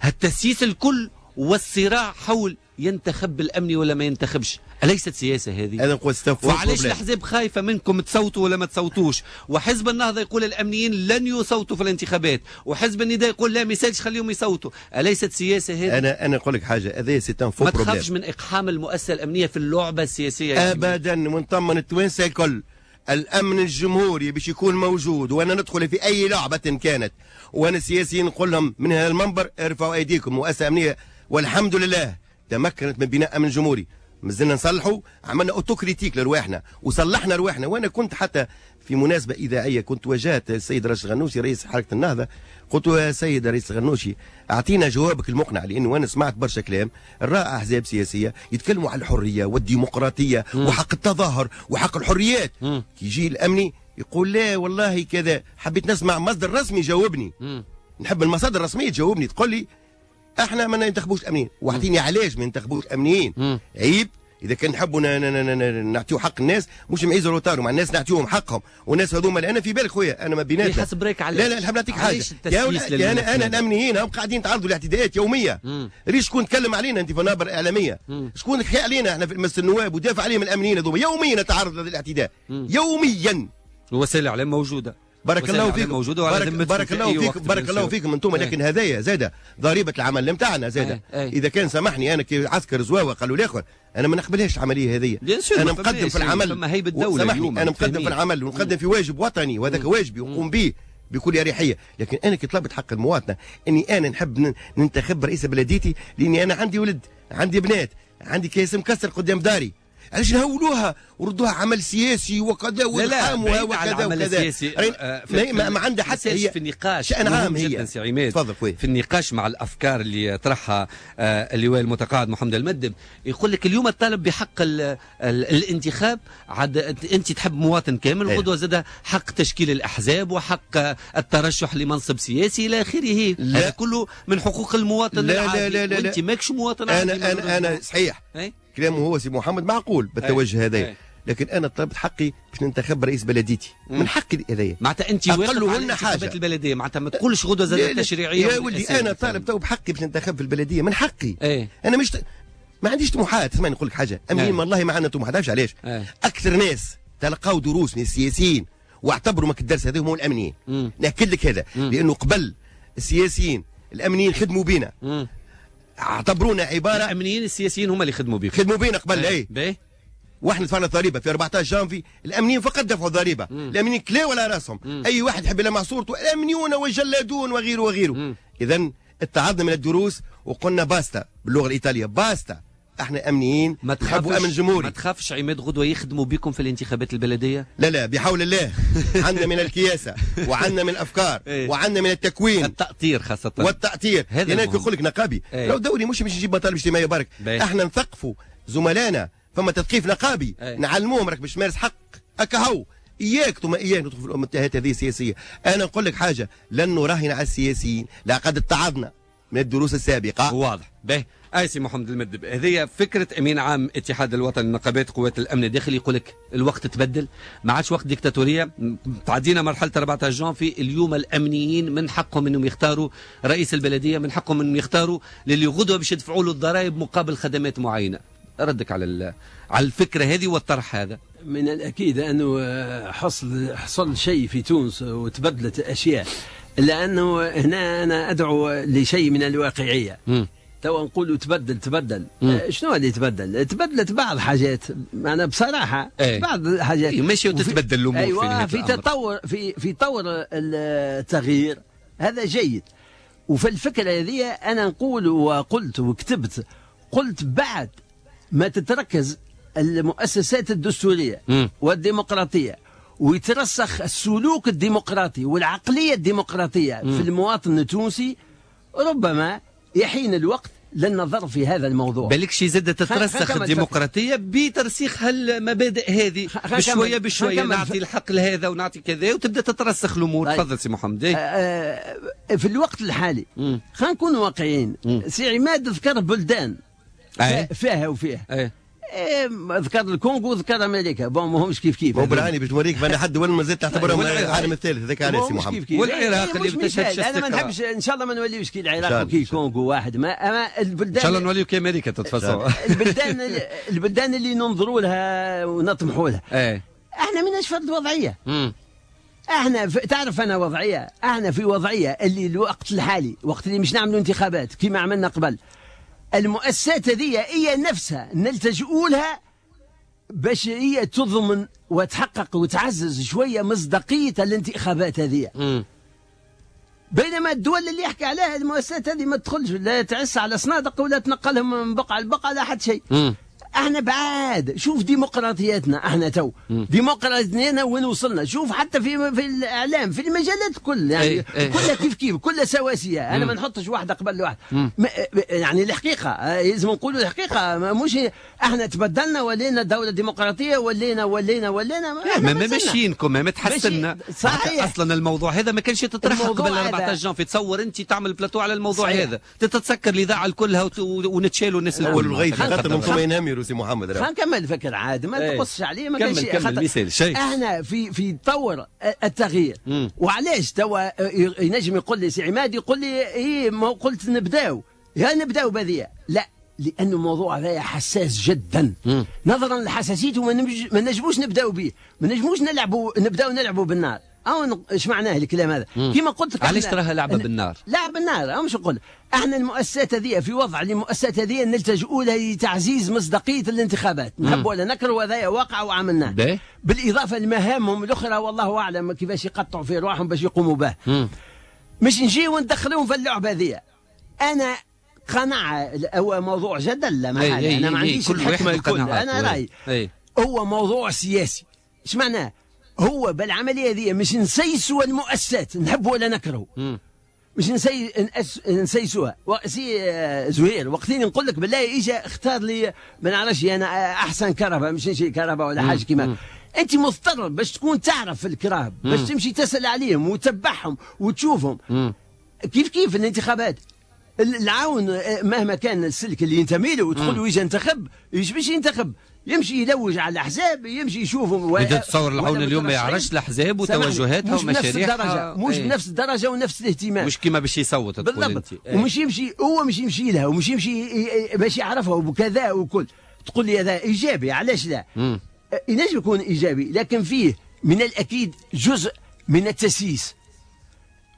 هالتسييس الكل والصراع حول ينتخب الامني ولا ما ينتخبش، اليست سياسة هذه؟ انا نقول وعلاش الاحزاب خايفة منكم تصوتوا ولا ما تصوتوش؟ وحزب النهضة يقول الامنيين لن يصوتوا في الانتخابات، وحزب النداء يقول لا ما يسالش خليهم يصوتوا، اليست سياسة هذه؟ انا نقول لك حاجة، هذا c'est un faux problème. ما تخافش من اقحام المؤسسة الامنية في اللعبة السياسية ابدا، ونطمن التوانسة الكل. الامن الجمهوري باش يكون موجود، وانا ندخل في اي لعبه كانت، وانا السياسيين نقول لهم من هذا المنبر ارفعوا ايديكم. مؤسسة امنية والحمد لله تمكنت من بناء امن جمهوري، مازلنا نصلحوا، عملنا autocritique لرواحنا وصلحنا رواحنا. وانا كنت حتى في مناسبة اذاعية كنت واجهت السيد راشد الغنوشي رئيس حركة النهضة، قلت له يا سيد رئيس الغنوشي اعطينا جوابك المقنع، لانه انا سمعت برشا كلام رائع احزاب سياسية يتكلموا على الحرية والديمقراطية وحق التظاهر وحق الحريات، كي يجي الامني يقول لا والله كذا. حبيت نسمع مصدر رسمي جاوبني، نحب المصادر الرسمية تجاوبني تقول لي احنا ما ننتخبوش الامنيين، واعطيني علاش ما ننتخبوش الامنيين. عيب اذا كان نحبوا نعطيو حق الناس، مش معيز روتارو مع الناس نعطيوهم حقهم، والناس هذوما انا في بالك خويا انا ما بيناتنا حسب رايك علاش؟ لا لا نحب نعطيك حاجة يا انا الامنيين هم قاعدين يتعرضوا لاعتداءات يومية. ريش شكون تكلم علينا انت في المنابر الاعلامية؟ شكون حكى علينا احنا في مجلس النواب ودافع عليهم الامنيين هذوما؟ يوميا نتعرض للاعتداء يوميا. وسائل الاعلام موجودة. بارك الله فيكم، بارك الله فيكم، بارك الله فيكم انتم. لكن هذايا زاد ضريبة العمل نتاعنا زاد. اذا كان سامحني انا كي عسكر زواوه قالوا الاخر انا ما نقبلهاش العملية هذه. انا مقدم في العمل، سامحني انا مقدم في العمل ونقدم في واجب وطني، وهذاك واجبي ونقوم به بكل اريحية. لكن انا كي طلبت حق المواطنة اني انا نحب ننتخب رئيس بلديتي، لاني انا عندي ولد، عندي بنات، عندي كيس مكسر قدام داري. علاش نهولوها وردوها عمل سياسي وكذا والحام وكذا وكذا؟ ما عندها حتى هي في النقاش شأن عام هي. سي عماد تفضل خويا. في النقاش مع الافكار اللي طرحها اللواء المتقاعد محمد المدب، يقول لك اليوم الطالب بحق الانتخاب، عاد انت تحب مواطن كامل، غدوه زاد حق تشكيل الاحزاب وحق الترشح لمنصب سياسي الى اخره، هذا كله من حقوق المواطن العادي. لا لا لا، وانت ماكش مواطن عادي. انا صحيح كلامه هو سي محمد معقول بالتوجه هذايا، لكن انا طلبت حقي باش ننتخب رئيس بلديتي، من حقي هذايا. معناتها انت واقف على الانتخابات البلدية، معناتها ما تقولش غدوه زاد التشريعية. يا ولدي انا طالب تو بحقي باش ننتخب في البلدية، من حقي. انا مش ما عنديش طموحات. اسمعني نقول لك حاجة، امين والله ما عندنا طموحات. عارفش علاش؟ اكثر ناس تلقاو دروس من السياسيين واعتبروا ماك الدرس هذا هم الامنيين. ناكد لك هذا، لانه قبل السياسيين الامنيين خدموا بينا، اعتبرونا عبارة الامنيين السياسيين هما اللي خدموا بيكم، خدموا بينا قبل. اي واحنا دفعنا الضريبة في 14 جانفي، الامنيين فقط دفعوا الضريبة، الامنيين كلاو على راسهم، اي واحد يحب يلمع صورته الامنيون والجلادون وغيره وغيره. اذا اتعظنا من الدروس وقلنا basta باللغة الايطالية، basta، احنا امنيين نحبوا امن جمهوري. ما تخافش عماد غدوه يخدموا بكم في الانتخابات البلدية؟ لا لا، بحول الله عندنا من الكياسه وعندنا من الافكار وعندنا من التكوين، التأطير خاصة، والتأطير. هناك يقول لك نقابي لو دوري مش باش يجيب مطالب اجتماعية برك، احنا نثقفوا زملائنا، فما تثقيف نقابي، نعلموهم راك باش تمارس حق اكاهو، اياك ثم اياك ندخل في المتاهات هذه السياسية. انا نقول لك حاجة، لن نراهن على السياسيين، لقد اتعظنا من الدروس السابقة. واضح. باهي اي سي محمد المدب، هذه فكرة امين عام اتحاد الوطني لنقابات قوات الامن الداخلي، يقول لك الوقت تبدل، ما عادش وقت ديكتاتوريه، تعدينا مرحلة 14 جانفي. اليوم الامنيين من حقهم انهم يختاروا رئيس البلدية، من حقهم انهم يختاروا للي غدوه باش يدفعوا له الضرائب مقابل خدمات معينة. ردك على على الفكرة هذه والطرح هذا؟ من الاكيد انه حصل شيء في تونس وتبدلت اشياء، لانه هنا انا ادعو لشيء من الواقعية. توا نقولوا تبدل شنو اللي تبدل؟ تبدلت بعض حاجات، معنا بصراحة بعض الحاجات ماشي وتتبدل الامور. أيوة، في تطور، في طور التغيير، هذا جيد. وفي الفكرة هذه انا نقول وقلت وكتبت، قلت بعد ما تتركز المؤسسات الدستورية والديمقراطية ويترسخ السلوك الديمقراطي والعقلية الديمقراطية في المواطن التونسي، ربما يحين الوقت للنظر في هذا الموضوع. بالك شي زاد تترسخ الديمقراطية بترسيخ هالمبادئ هذه بشوية بشوية، نعطي الحق لهذا ونعطي كذا وتبدا تترسخ الامور. تفضل سي محمد. في الوقت الحالي خلينا نكونوا واقعيين. سي عماد ذكر بلدان فيها وفيها، ذكر الكونغو، ذكر امريكا، bon ماهمش كيف كيف. مو بالعاني باش نوريك بان حد دول ما زلت تعتبرهم العالم الثالث، هذاك علاش سي محمد. والعراق اللي بتشهد، انا ما نحبش، ان شاء الله ما نوليوش كي العراق وكي الكونغو واحد، ما اما البلدان ان شاء الله نوليو كي امريكا تتفصل. البلدان اللي ننظروا لها ونطمحوا لها، احنا ماناش في الوضعية. احنا تعرف انا وضعية، احنا في وضعية اللي الوقت الحالي، وقت اللي مش نعملوا انتخابات كما عملنا قبل، المؤسسات هذه هي نفسها نلتجئوا لها باش هي تضمن وتحقق وتعزز شوية مصداقية الانتخابات هذه. بينما الدول اللي يحكي عليها المؤسسات هذه ما تدخلش، لا تعس على صنادق ولا تنقلهم من بقعة لبقعه لا حتى شيء. احنا بعاد، شوف ديمقراطياتنا احنا تو، ديمقراطياتنا وين وصلنا، شوف حتى في الاعلام، في المجالات كل يعني كلها كيف كيف، كلها سواسية. انا ما نحطش واحدة قبل واحدة، يعني الحقيقة لازم نقولوا الحقيقة، مش احنا تبدلنا ولينا دولة ديمقراطية، ولينا ولينا ولينا ما ماشيينكم، ما تحسنا. صحيح. اصلا الموضوع هذا ما كانش يتطرح قبل 14 جانفي. تصور انت تعمل بلاتو على الموضوع هذا، تتسكر الاذاعة كلها ونتشالوا الناس الكل، خاطر انتم ينامروا سي محمد. خلينا نكمل فكر عاد، ما تقصش عليه، ما كانش كمل شيء. احنا في طور التغيير. وعلاش توا ينجم يقول لي سي عماد، يقول لي ايه ما قلت نبداو، يا نبداو بهذه، لا، لأن الموضوع هذا حساس جدا. نظرا لحساسيته ما نجموش نبداو به، ما نجموش نلعبوا، نبداو نلعبوا بالنار. او ايش معناه الكلام هذا؟ كما قلت لك، علاش تراها لعبه بالنار؟ لعب بالنار، او مش نقول احنا المؤسسات هذه في وضع المؤسسات هذه نلتجئوا لها لتعزيز مصداقية الانتخابات، نحب ولا نكره، هذا واقع وعملناه. بالاضافة لمهامهم الاخرى والله اعلم كيفاش يقطعوا في ارواحهم باش يقوموا به. مش نجي وندخلوهم في اللعبة هذه. انا قناعة، هو موضوع جدل لا محالة، انا ما عنديش الحكمة الكل، انا رايي هو موضوع سياسي. ايش معناه؟ هو بالعملية هذه مش نسيسوا المؤسسات، نحب ولا نكره، مش نسيسوها. سي زهير وقتين نقول لك بالله اجا اختار لي ما نعرفش انا احسن كرهبه، مش نشري كرهبه ولا حاجة كيما انت مضطر باش تكون تعرف الكراهب، باش تمشي تسال عليهم وتتبعهم وتشوفهم. كيف كيف الانتخابات، العون مهما كان السلك اللي ينتمي له وتقول له يجي انتخب، ايش باش ينتخب؟ يمشي يلوج على الاحزاب، يمشي يشوفهم. انت تتصور العون اليوم ما يعرفش الاحزاب وتوجهاتها ومشاريعها؟ مش بنفس الدرجة ونفس الاهتمام، مش كيما باش يصوت تقول انت. ومش يمشي هو، مش يمشي لها ومش يمشي باش يعرفها وكذا وكل. تقول لي هذا ايجابي، علاش لا؟ ينجم يكون ايجابي، لكن فيه من الاكيد جزء من التسييس.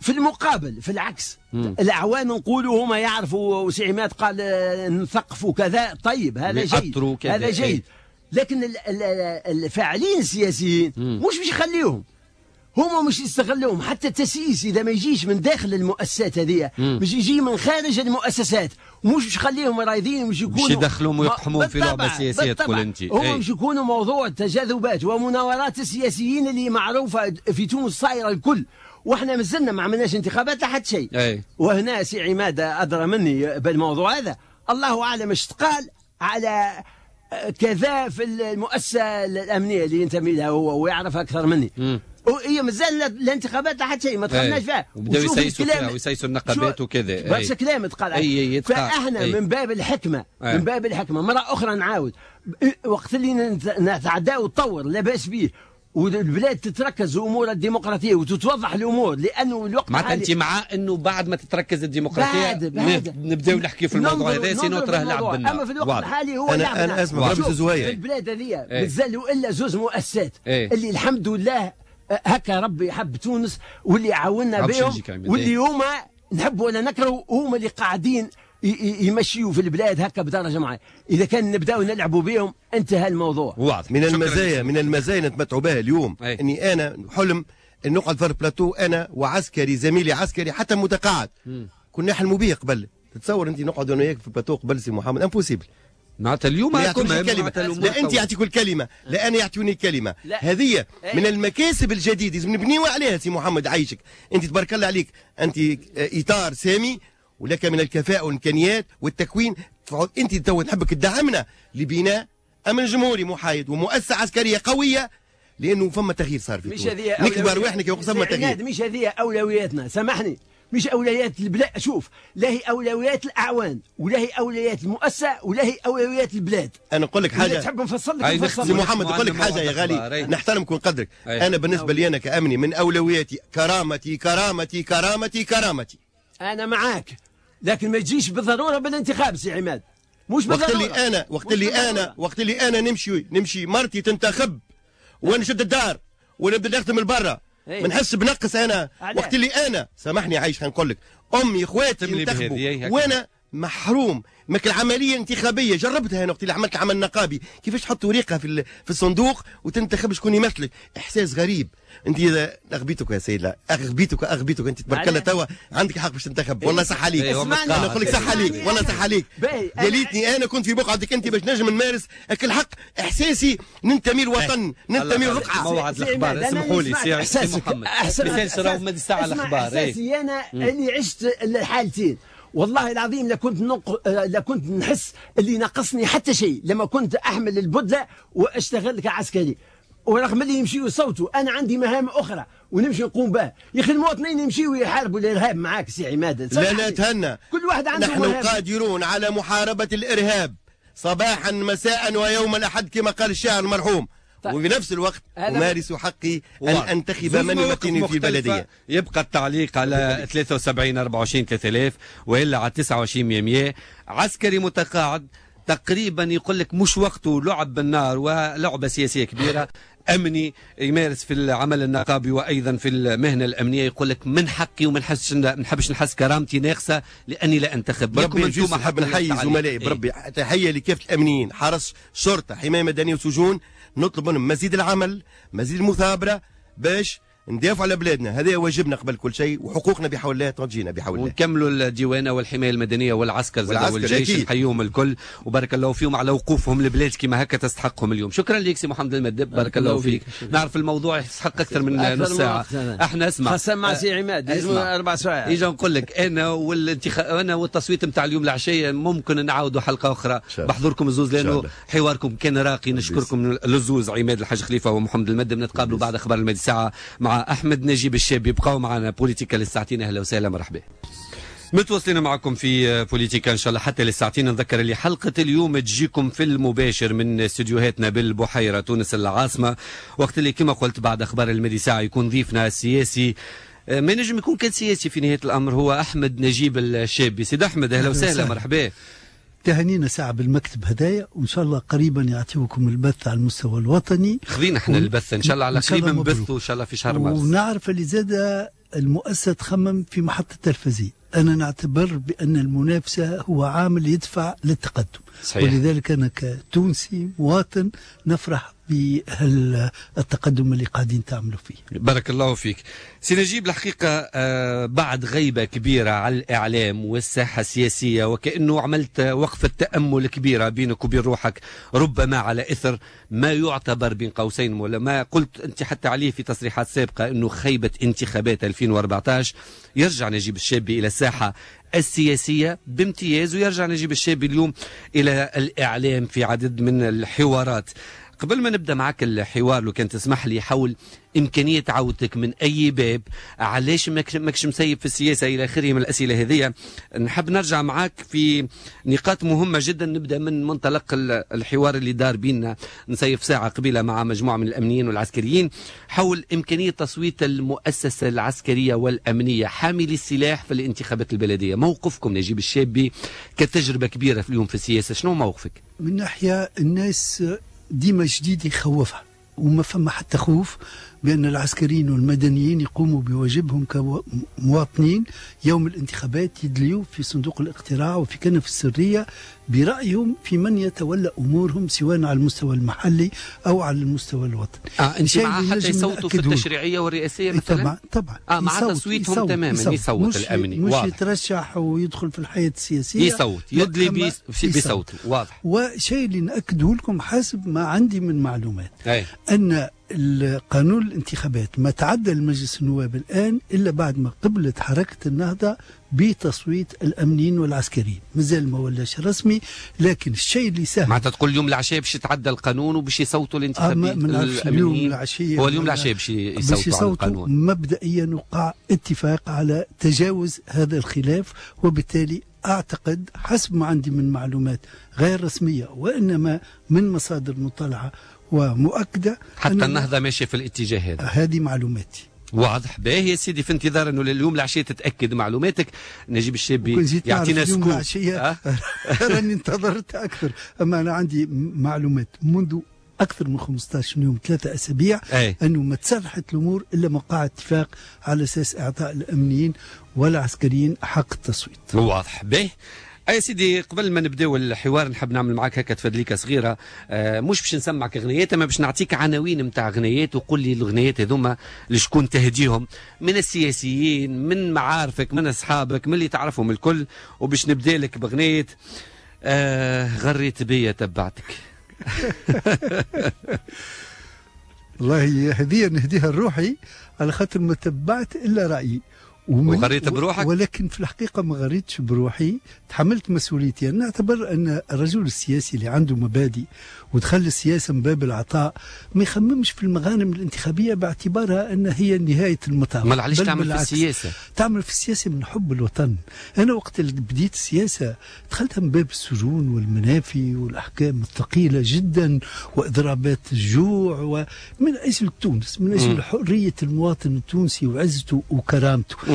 في المقابل في العكس الاعوان نقولوا هما يعرفوا، وسي عماد قال نثقفوا كذا، طيب هذا جيد، هذا جيد، لكن الفاعلين السياسيين مش باش يخليهم، هما مش يستغلوهم. حتى التسييس اذا ما يجيش من داخل المؤسسات هذه، مش يجي من خارج المؤسسات، ومش باش يخليهم رايضين، مش يكونوا مش يدخلوهم ويقحموهم في لعبه سياسية تقول انت. هما مش يكونوا موضوع تجاذبات ومناورات السياسيين اللي معروفة في تونس صايرة الكل، واحنا مازلنا ما عملناش انتخابات لحد شيء. وهنا سي عماد ادرى مني بالموضوع هذا، الله اعلم اش تقال على كذا في المؤسسة الامنية اللي ينتمي لها هو ويعرف اكثر مني. هي مازال الانتخابات لحد شيء ما دخلناش فيها، وبداو يسيسوا فيها ويسيسوا النقابات وكذا، برشا كلام تقال. فاحنا من باب الحكمة، من باب الحكمة مرة اخرى نعاود، وقت اللي نتعداو الطور لاباس به والبلاد تتركز امور الديمقراطية وتتوضح الامور، لانه الوقت معناتها انت مع انه بعد ما تتركز الديمقراطية نبداو نحكي في الموضوع هذا، sinon تراه لعب بالنار. اما في الوقت الحالي هو لعب. انا اسمع ربي زهير، في البلاد هذه مازالوا الا زوز مؤسسات اللي الحمد لله هكا ربي حب تونس واللي عاونا بهم، واللي هما نحب ولا نكره هما اللي قاعدين يمشيوا في البلاد هكا بدرجة معينة. اذا كان نبداو نلعبوا بهم انتهى الموضوع. واضح. من المزايا، من المزايا نتمتعوا بها اليوم اني انا حلم ان نقعد في البلاتو انا وعسكري زميلي عسكري حتى متقاعد، كنا نحلموا به قبل. تتصور انت نقعد انا وياك في البلاتو قبل سي محمد؟ impossible. معناتها اليوم لا انت يعطيك الكلمة، لا انا يعطوني الكلمة. هذه من المكاسب الجديدة لازم نبنيو عليها سي محمد. عايشك انت، تبارك الله عليك، انت اطار سامي ولك من الكفاءة والإمكانيات والتكوين. أنت تو نحبك تدعمنا لبناء أمن جمهوري محايد ومؤسسة عسكرية قوية، لأنه فما تغيير صار في تونس. نكبر رواحنا كي فما تغيير. مش هذه أولوياتنا، سامحني، مش أولويات البلاد. شوف، لا هي أولويات الأعوان ولا هي أولويات المؤسسة ولا هي أولويات البلاد. أنا نقول لك حاجة، تحب نفصل لك؟ سي محمد نقول لك حاجة يا غالي، نحترمك ونقدرك. أنا بالنسبة لي أنا كأمني من أولوياتي كرامتي كرامتي كرامتي كرامتي. أنا معاك، لكن ما تجيش بالضرورة بالانتخاب سي عماد، مش بالضرورة. وقت اللي انا نمشي مرتي تنتخب وانا نشد الدار ونبدا نخدم من برا، ما نحس بنقص انا. وقت اللي انا سامحني عايش نقول لك امي اخواتي ينتخبوا وانا محروم. ماك العملية الانتخابية جربتها انا وقت اللي عملت عمل نقابي، كيفاش تحط ورقة في الصندوق وتنتخب شكون يمثلك، احساس غريب. انت اذا اغبيتك يا سيد، لا اغبيتك انت تبارك الله توا عندك حق باش تنتخب، والله صح عليك. انا نقول لك صح عليك، والله صح عليك. يا ليتني انا كنت في بقعتك انت باش نجم نمارس الحق، احساسي ننتمي للوطن، ننتمي للرقعه. موعد الاخبار، اسمحوا لي سي محمد، مثال راهو مد الساعة الاخبار. احساسي انا اللي عشت الحالتين، والله العظيم لا كنت نحس اللي ناقصني حتى شيء لما كنت احمل البدلة واشتغل كعسكري، ورغم اللي يمشيوا يصوتوا انا عندي مهام اخرى ونمشي نقوم بها. يا اخي المواطنين يمشيوا يحاربوا الارهاب معاك سي عماد. لا لا تهنى، كل واحد عنده نحن مهام. قادرون على محاربة الارهاب صباحا مساء ويوم الاحد كما قال الشاعر المرحوم. طيب. وفي نفس الوقت أمارس حقي أن أنتخب من يمثلني في البلدية. يبقى التعليق على 73 24 3000 وإلا على 29 100. عسكري متقاعد تقريبا يقول لك مش وقته، لعب بالنار ولعبة سياسية كبيرة. أمني يمارس في العمل النقابي وأيضا في المهنة الأمنية يقول لك من حقي وما نحبش نحس كرامتي ناقصة لأني لا أنتخب. بربي نحب نحيي زملائي، بربي تحية لكافة الأمنيين، حرس، شرطة، حماية مدنية وسجون، نطلب منهم مزيد العمل، مزيد المثابرة باش ندافع على بلادنا، هذا واجبنا قبل كل شيء، وحقوقنا بحول الله تجينا بحول الله. ونكملوا الديوانه والحماية المدنية والعسكر والجيش، نحييهم الكل وبارك الله فيهم على وقوفهم لبلاد كما هكا تستحقهم اليوم. شكرا لك سي محمد المدب، بارك الله فيك. نعرف الموضوع يستحق اكثر من نص ساعة، احنا اسمع خاصة مع سي عماد لازم 4 سوايع. اجا نقول لك انا انا والتصويت نتاع اليوم العشية ممكن نعاودوا حلقة اخرى بحضوركم الزوز، لانه حواركم كان راقي. نشكركم للزوز عماد الحاج خليفة ومحمد المدب. نتقابلوا بعد اخبار المادي ساعة مع أحمد نجيب الشابي. بقاو معنا بوليتيكا للساعتين. أهلا وسهلا، مرحبا. متواصلين معكم في بوليتيكا إن شاء الله حتى للساعتين. نذكر اللي حلقة اليوم تجيكم في المباشر من استديوهاتنا بالبحيرة تونس العاصمة، وقت اللي كما قلت بعد أخبار المدي ساعة يكون ضيفنا السياسي، ما نجم يكون كان سياسي في نهاية الأمر، هو أحمد نجيب الشابي. سيد أحمد أهلا وسهلا، مرحبا. تهانينا ساعة بالمكتب هدايا، وإن شاء الله قريبا يعطيوكم البث على المستوى الوطني. خذينا احنا البث إن شاء الله على قريب نبثوا إن شاء الله في شهر مارس. ونعرف اللي زاد المؤسسة تخمم في محطة تلفزيون. أنا نعتبر بأن المنافسة هو عامل يدفع للتقدم. صحيح. ولذلك أنا كتونسي مواطن نفرح بالتقدم اللي قاعدين تعملوا فيه. بارك الله فيك سي نجيب. الحقيقة بعد غيبة كبيرة على الإعلام والساحة السياسية، وكأنه عملت وقفة تأمل كبيرة بينك وبين روحك، ربما على إثر ما يعتبر بين قوسين ولا ما قلت أنت حتى عليه في تصريحات سابقة أنه خيبة انتخابات 2014، يرجع نجيب الشابي إلى الساحة السياسية بامتياز، ويرجع نجيب الشابي اليوم إلى الإعلام في عدد من الحوارات. قبل ما نبدأ معك الحوار لو كان تسمح لي حول إمكانية عودتك من أي باب، علاش ماكش مسيب في السياسة إلى آخره من الأسئلة هذه، نحب نرجع معك في نقاط مهمة جدا. نبدأ من منطلق الحوار اللي دار بيننا نسيف ساعة قبيلة مع مجموعة من الأمنيين والعسكريين حول إمكانية تصويت المؤسسة العسكرية والأمنية حاملي السلاح في الانتخابات البلدية. موقفكم نجيب الشابي كتجربة كبيرة في اليوم في السياسة، شنو موقفك؟ من ناحية الناس ديما جديد يخوفها، وما فما حتى خوف بأن العسكريين والمدنيين يقوموا بواجبهم كمواطنين يوم الانتخابات، يدليوا في صندوق الاقتراع وفي كنف السرية برأيهم في من يتولى أمورهم، سواء على المستوى المحلي أو على المستوى الوطني. أنت مع حتى يصوتوا في التشريعية والرئاسية مثلا؟ طبعا طبعا. مع تصويتهم تماما، يصوت الأمني، مش يترشح ويدخل في الحياة السياسية، يصوت، يدلي بصوته. واضح. وشيء اللي نأكده لكم حسب ما عندي من معلومات، أن القانون الانتخابات ما تعدى المجلس النواب الآن إلا بعد ما قبلت حركة النهضة بتصويت الأمنيين والعسكريين، مازال ما ولاش رسمي، لكن الشيء اللي سهل. معناتها تقول اليوم العشية باش يتعدى القانون وباش يصوتوا الانتخابيين اليوم العشية، هو اليوم العشية باش يصوتوا على القانون. مبدئيا وقع اتفاق على تجاوز هذا الخلاف، وبالتالي أعتقد حسب ما عندي من معلومات غير رسمية وإنما من مصادر مطلعة ومؤكدة، حتى النهضة ماشية في الاتجاه هذا. هذه معلوماتي. واضح. باهي يا سيدي، في انتظار انه اليوم العشية تتاكد معلوماتك. نجيب الشابي يعطينا scoop. راني انتظرت اكثر، اما انا عندي معلومات منذ اكثر من 15 يوم، 3 اسابيع، انه ما تسرحت الامور الا ما وقع اتفاق على اساس اعطاء الامنيين والعسكريين حق التصويت. واضح. باهي يا سيدي، قبل ما نبداو الحوار نحب نعمل معك هكا تفدليكه صغيرة، مش باش نسمعك اغنيات، اما باش نعطيك عناوين نتاع اغنيات وقول لي الاغنيات هذوما لشكون تهديهم، من السياسيين، من معارفك، من اصحابك، من اللي تعرفهم الكل. وباش نبدا لك باغنية غريت بيا تبعتك. والله هذه نهديها لروحي على خاطر ما تبعت الا رايي. وغريت بروحك؟ ولكن في الحقيقة ما غريتش بروحي، تحملت مسؤوليتي. أنا أعتبر أن الرجل السياسي اللي عنده مبادئ ودخل السياسة من باب العطاء ما يخممش في المغانم الانتخابية باعتبارها أن هي نهاية المطاف. ما علاش تعمل في السياسة؟ تعمل في السياسة من حب الوطن. أنا وقت اللي بديت السياسة دخلتها من باب السجون والمنافي والأحكام الثقيلة جدا وإضرابات الجوع، ومن أجل تونس، من أجل حرية المواطن التونسي وعزته وكرامته.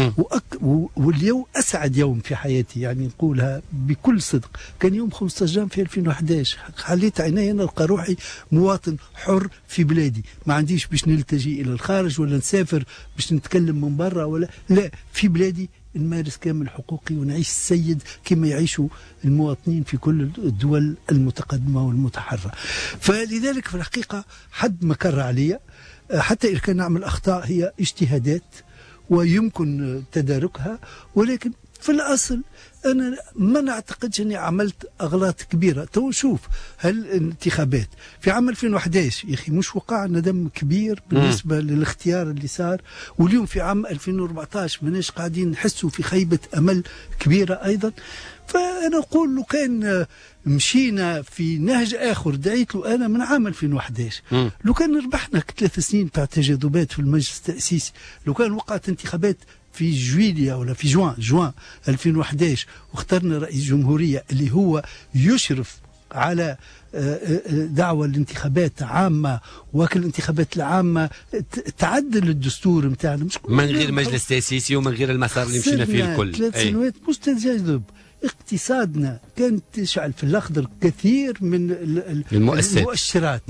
واليوم أسعد يوم في حياتي، يعني نقولها بكل صدق، كان يوم 15 جانفي 2011. حليت عيني نلقى روحي مواطن حر في بلادي، ما عنديش باش نلتجي إلى الخارج ولا نسافر باش نتكلم من برا، ولا لا، في بلادي نمارس كامل حقوقي ونعيش السيد كما يعيشوا المواطنين في كل الدول المتقدمة والمتحرة. فلذلك في الحقيقة حد ما كر عليا، حتى إذا كان نعمل أخطاء هي اجتهادات ويمكن تداركها، ولكن في الأصل أنا ما نعتقدش أني عملت أغلاط كبيرة. تو شوف هالانتخابات في عام 2011 يا أخي مش وقع ندم كبير بالنسبة للاختيار اللي صار، واليوم في عام 2014 ماناش قاعدين نحسوا في خيبة أمل كبيرة أيضا. فأنا أقول لو كان مشينا في نهج آخر دعيت له أنا من عام 2011، لو كان ربحنا 3 سنين تاع تجاذبات في المجلس التأسيسي، لو كان وقعت انتخابات في جويليا ولا في جوان 2011 واخترنا رئيس جمهورية اللي هو يشرف على دعوة الانتخابات عامة، وكل الانتخابات العامة تعدل الدستور نتاعنا من غير مجلس تأسيسي ومن غير المسار اللي مشينا فيه الكل. 3 سنوات مش تجاذب، اقتصادنا كانت تشعل في الأخضر كثير من المؤشرات.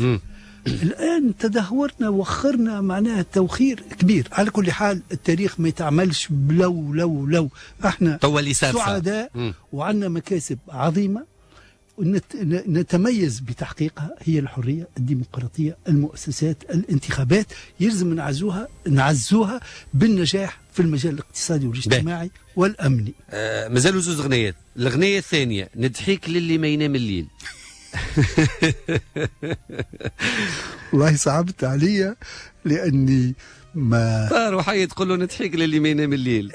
الآن تدهورنا وخرنا معناها توخير كبير. على كل حال التاريخ ما يتعملش بلو لو لو، احنا سعداء وعندنا مكاسب عظيمة نتميز بتحقيقها، هي الحرية، الديمقراطية، المؤسسات، الانتخابات، يلزم نعزوها بالنجاح في المجال الاقتصادي والاجتماعي والأمني. مازالوا زوز غنيات. الغنية الثانية ندحيك للي ما ينام الليل. والله صعبت عليا لأني ما طار وحي تقول له ندحيك للي ما ينام الليل.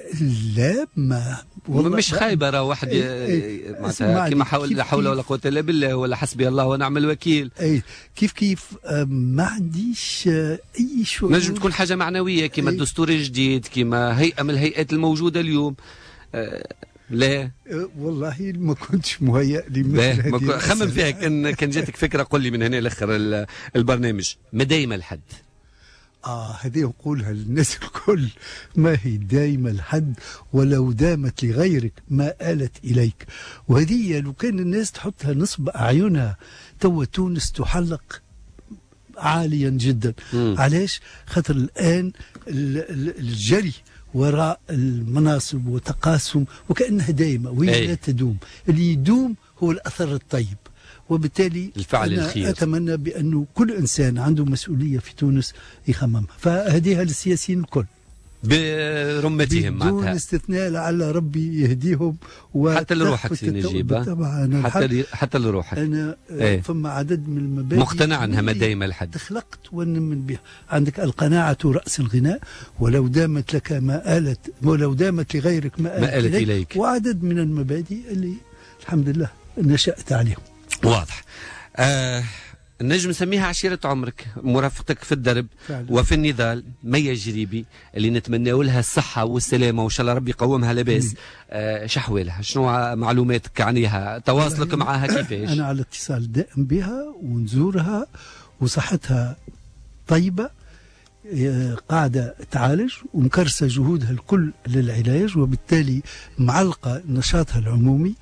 لا ما مش خايبة، راه واحد معناتها كيما حول لا حول ولا قوة الا بالله ولا حسبي الله ونعم الوكيل. اي كيف ما عنديش اي شعور. نجم تكون حاجة معنوية كيما الدستور الجديد، كيما هيئة من الهيئات الموجودة اليوم. لا والله ما كنتش مهيأ لمثل هذه. خمم فيها، كان جاتك فكرة قل لي من هنا لاخر البرنامج. ما دايما الحد. هذه نقولها للناس الكل، ما هي دايما الحد، ولو دامت لغيرك ما آلت إليك. وهذه لو كان الناس تحطها نصب أعينها تو تونس تحلق عاليا جدا. علاش؟ خاطر الآن الجري وراء المناصب وتقاسم وكأنها دايمة وهي لا تدوم. اللي يدوم هو الأثر الطيب، وبالتالي الفعل أنا الخير. أتمنى بأنه كل إنسان عنده مسؤولية في تونس يخممها، فهديها للسياسيين الكل برمتهم بدون استثناء، لعل ربي يهديهم. حتى لروحك سي نجيب، طبعا حتى لروحك. أنا فما عدد من المبادئ مقتنع أنها ما دايما لحد تخلقت ونمن بها. عندك القناعة رأس الغناء، ولو دامت لك ما آلت، ولو دامت لغيرك ما آلت إليك. وعدد من المبادئ اللي الحمد لله نشأت عليهم. واضح. نجم نسميها عشيرة عمرك، مرافقتك في الدرب فعلا. وفي النضال، ميا جريبي اللي نتمنى لها الصحة والسلامة وإن شاء الله ربي يقومها لاباس. شحوالها، شنو معلوماتك عنيها، تواصلك معها كيفاش؟ أنا على اتصال دائم بها ونزورها، وصحتها طيبة، قاعدة تعالج ومكرسة جهودها الكل للعلاج، وبالتالي معلقة نشاطها العمومي،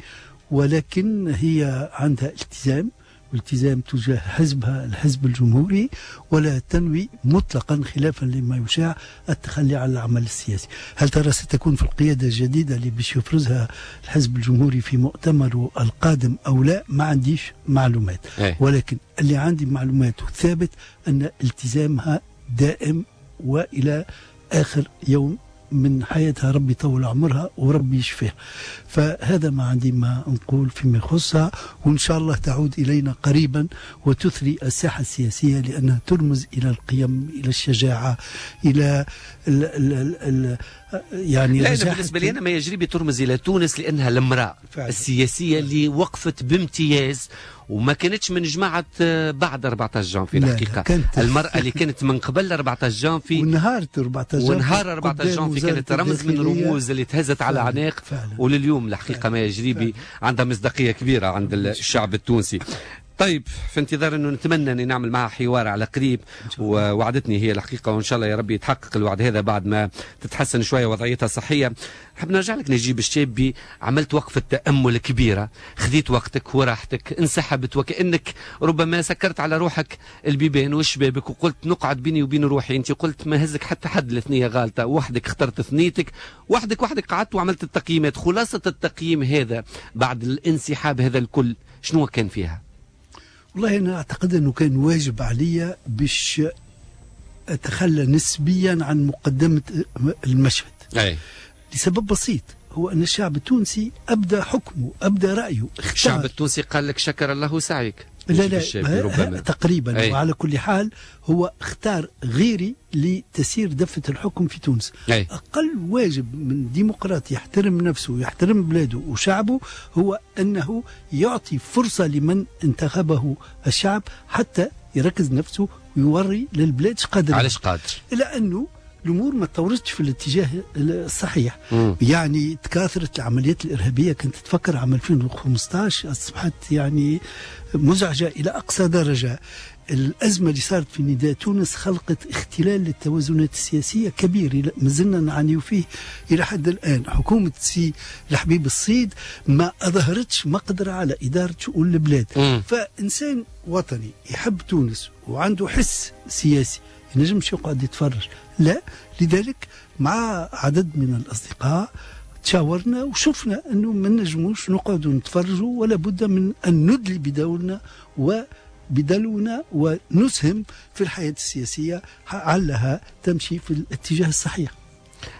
ولكن هي عندها التزام، والتزام تجاه حزبها الحزب الجمهوري، ولا تنوي مطلقا خلافا لما يشاع التخلي على العمل السياسي. هل ترى ستكون في القيادة الجديدة اللي باش يفرزها الحزب الجمهوري في مؤتمره القادم أو لا؟ ما عنديش معلومات. ولكن اللي عندي معلومات ثابت أن التزامها دائم وإلى آخر يوم من حياتها، ربي يطول عمرها وربي يشفيها. فهذا ما عندي ما نقول فيما يخصها، وإن شاء الله تعود إلينا قريبا وتثري الساحة السياسية، لأنها ترمز إلى القيم، إلى الشجاعة، إلى ال ال ال يعني. لا، أنا بالنسبة لي أنا ما يجري بترمز إلى تونس لأنها المرأة السياسية اللي وقفت بامتياز وما كانتش من جماعة بعد 14 جانفي. الحقيقة المرأة اللي كانت من قبل 14 جانفي ونهار 14 جانفي، ونهار 14 جانفي كانت رمز من رموز اللي تهزت على عناق، ولليوم الحقيقة ما يجري عندها مصداقية كبيرة عند الشعب التونسي. طيب، في انتظار انه نتمنى اني نعمل معها حوار على قريب، ووعدتني هي الحقيقة، وان شاء الله يا ربي يتحقق الوعد هذا بعد ما تتحسن شوية وضعيتها الصحية. حاب نرجع لك نجيب الشابي، عملت وقفه تامل كبيرة، خذيت وقتك وراحتك، انسحبت وكانك ربما سكرت على روحك البيبان والشبابك وقلت نقعد بيني وبين روحي. انت قلت ما هزك حتى حد لثنيه غالطه، وحدك اخترت ثنيتك، وحدك قعدت وعملت التقييمات. خلاصه التقييم هذا بعد الانسحاب هذا الكل شنو كان فيها؟ والله أنا أعتقد أنه كان واجب علي باش أتخلى نسبيا عن مقدمة المشهد. أي. لسبب بسيط، هو أن الشعب التونسي أبدى حكمه، أبدى رأيه، اختار. الشعب التونسي قال لك شكر الله سعيك. لا لا تقريبا. أي. وعلى كل حال هو اختار غيري لتسير دفة الحكم في تونس. أي. أقل واجب من ديمقراطي يحترم نفسه ويحترم بلاده وشعبه هو أنه يعطي فرصة لمن انتخبه الشعب حتى يركز نفسه ويوري للبلاد قادر، علاش قادر، إلا أنه الأمور ما تطورتش في الاتجاه الصحيح. يعني تكاثرت العمليات الإرهابية، كنت تفكر عام 2015 أصبحت يعني مزعجة إلى أقصى درجة. الأزمة اللي صارت في نداء تونس خلقت اختلال للتوازنات السياسية كبير ما زلنا نعاني فيه إلى حد الآن. حكومة سي الحبيب الصيد ما أظهرتش مقدرة على إدارة شؤون البلاد. فإنسان وطني يحب تونس وعنده حس سياسي ينجمش يقعد يتفرج، لا. لذلك مع عدد من الأصدقاء تشاورنا وشفنا أنه ما نجموش نقعدوا نتفرجوا، ولا بد من أن ندلي بدورنا وبدلونا ونسهم في الحياة السياسية علها تمشي في الاتجاه الصحيح.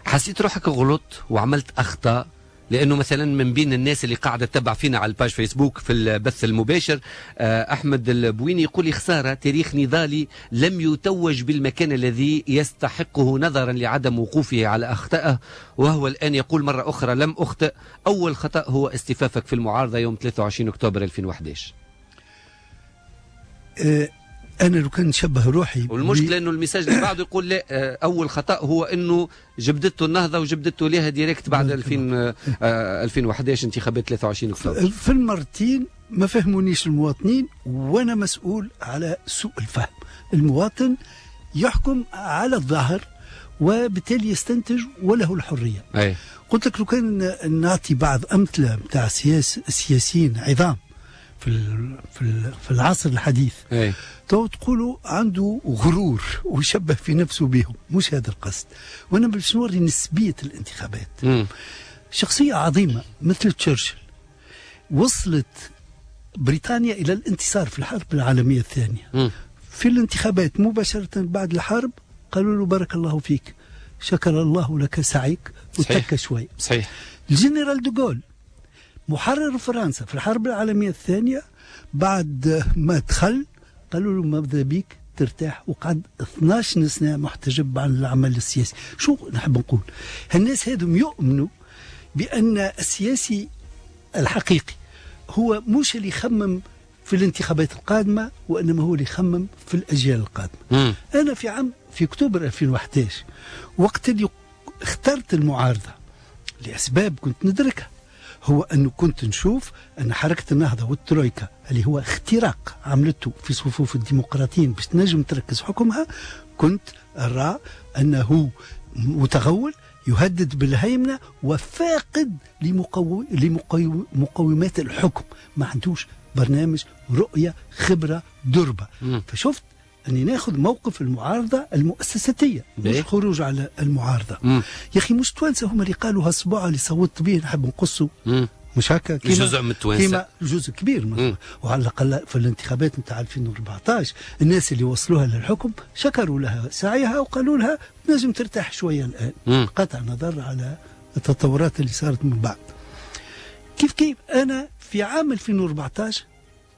حسيت روحك غلط وعملت أخطاء؟ لأنه مثلا من بين الناس اللي قاعدة تتبع فينا على ال page فيسبوك في البث المباشر أحمد البويني يقول لي خسارة تاريخ نضالي لم يتوج بالمكان الذي يستحقه نظرا لعدم وقوفه على أخطائه، وهو الآن يقول مرة أخرى لم أخطئ، أول خطأ هو استفافك في المعارضة يوم 23 أكتوبر 2011. أنا لو كان نشبه روحي، والمشكلة أنه ال message اللي بعده يقول لا، أول خطأ هو أنه جبدته النهضة وجبدته لها direct بعد 2011 انتخابات 23 أكتوبر. في المرتين ما فهمونيش المواطنين، وأنا مسؤول على سوء الفهم. المواطن يحكم على الظاهر وبالتالي يستنتج وله الحرية. أي. قلت لك لو كان نعطي بعض أمثلة نتاع سياسيين عظام في العصر الحديث. أي. تو تقولوا عنده غرور ويشبه في نفسه بهم، مش هذا القصد. وانا باش نوري نسبية الانتخابات. شخصية عظيمة مثل تشرشل وصلت بريطانيا إلى الانتصار في الحرب العالمية الثانية. في الانتخابات مباشرة بعد الحرب قالوا له بارك الله فيك، شكر الله لك سعيك، وتك شوي. صحيح. الجنرال دوغول محرر فرنسا في الحرب العالمية الثانية بعد ما دخل قالوا له ماذا بيك ترتاح، وقعد 12 سنة محتجب عن العمل السياسي. شو نحب نقول؟ هالناس هذم يؤمنوا بأن السياسي الحقيقي هو مش اللي يخمم في الانتخابات القادمة، وإنما هو اللي يخمم في الأجيال القادمة. أنا في أكتوبر 2011 وقت اللي اخترت المعارضة لأسباب كنت ندركها، هو أنه كنت نشوف أن حركة النهضة والترويكا اللي هو اختراق عملته في صفوف الديمقراطيين باش تنجم تركز حكمها، كنت أرى أنه متغول يهدد بالهيمنة وفاقد لمقومات الحكم، ما عندوش برنامج، رؤية، خبرة، دربة. فشفت أني ناخذ موقف المعارضة المؤسساتية، مش خروج على المعارضة. يا أخي مش توانسة هم اللي قالوا هالصباع اللي صوتت به نحب نقصه. مش هكا؟ جزء من التوانسة، كيما جزء كبير من. وعلى الأقل في الانتخابات نتاع 2014 الناس اللي وصلوها للحكم شكروا لها سعيها وقالوا لها نجم ترتاح شوية الآن. قطع نظر على التطورات اللي صارت من بعد. كيف أنا في عام 2014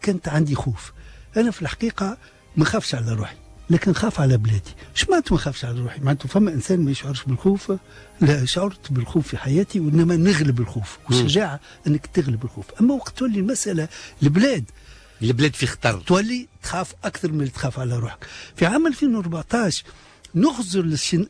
كانت عندي خوف. أنا في الحقيقة ما خافش على روحي، لكن خاف على بلادي. اش معناته ما خافش على روحي؟ معناته فما انسان ما يشعرش بالخوف؟ لا، شعرت بالخوف في حياتي، وانما نغلب الخوف، والشجاعة انك تغلب الخوف. اما وقت تولي المسالة البلاد في خطر، تولي تخاف اكثر من اللي تخاف على روحك. في عام 2014 نخزر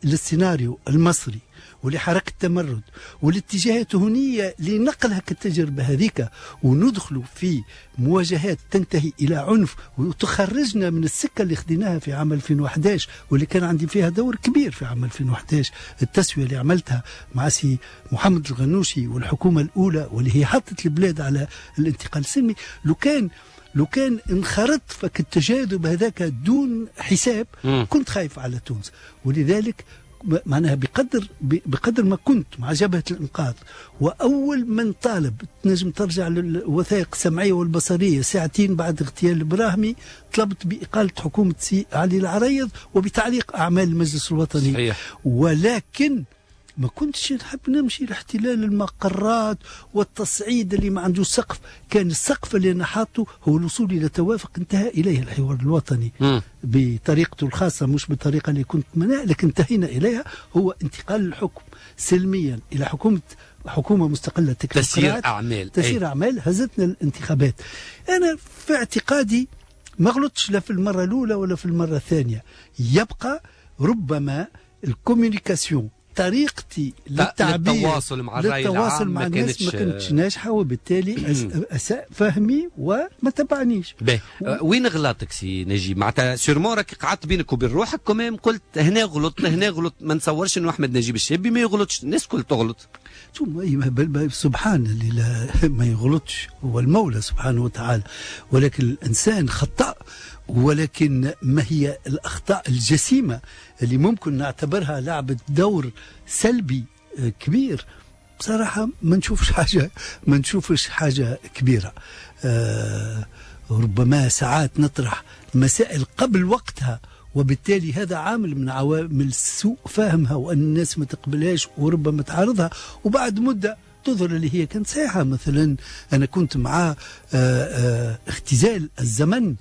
للسيناريو المصري ولحركة التمرد والاتجاهات هنية لنقل هك التجربة هذيك وندخلوا في مواجهات تنتهي إلى عنف وتخرجنا من السكة اللي خديناها في عام 2011 واللي كان عندي فيها دور كبير في عام 2011، التسوية اللي عملتها مع سي محمد الغنوشي والحكومة الأولى واللي هي حطت البلاد على الانتقال السلمي. لو كان انخرطت فك التجاذب هذاك دون حساب كنت خايف على تونس. ولذلك معناها بقدر ما كنت مع جبهة الإنقاذ وأول من طالب، تنجم ترجع للوثائق السمعية والبصرية، ساعتين بعد اغتيال البراهمي طلبت بإقالة حكومة سي علي العريض وبتعليق أعمال المجلس الوطني. صحيح. ولكن ما كنتش نحب نمشي لاحتلال المقرات والتصعيد اللي ما عنده سقف. كان السقف اللي انا حاطه هو الوصول الى توافق انتهى اليه الحوار الوطني بطريقته الخاصة، مش بالطريقة اللي كنت منها، لكن انتهينا اليها، هو انتقال الحكم سلميا الى حكومة مستقلة تسيير اعمال، تسيير اعمال هزتنا الانتخابات. انا في اعتقادي ما غلطتش لا في المرة الاولى ولا في المرة الثانية. يبقى ربما ال communication، طريقتي للتعبير، للتواصل مع الرأي العام مع الناس ما كانتش ناجحة، وبالتالي أساء فهمي وما تبعنيش. وين غلطك سي نجيب؟ معناتها sûrement راك قعدت بينك وبين روحك quand même قلت هنا غلط هنا غلط. ما نتصورش انه احمد نجيب الشابي ما يغلطش، الناس الكل تغلط. سبحان اللي لا ما يغلطش هو المولى سبحانه وتعالى، ولكن الإنسان خطأ. ولكن ما هي الأخطاء الجسيمة اللي ممكن نعتبرها لعبت دور سلبي كبير؟ بصراحة ما نشوفش حاجة كبيرة. ربما ساعات نطرح مسائل قبل وقتها، وبالتالي هذا عامل من عوامل سوء فهمها وأن الناس ما تقبلهاش وربما تعارضها، وبعد مدة تظهر اللي هي كانت صحيحة. مثلا أنا كنت مع اختزال الزمن،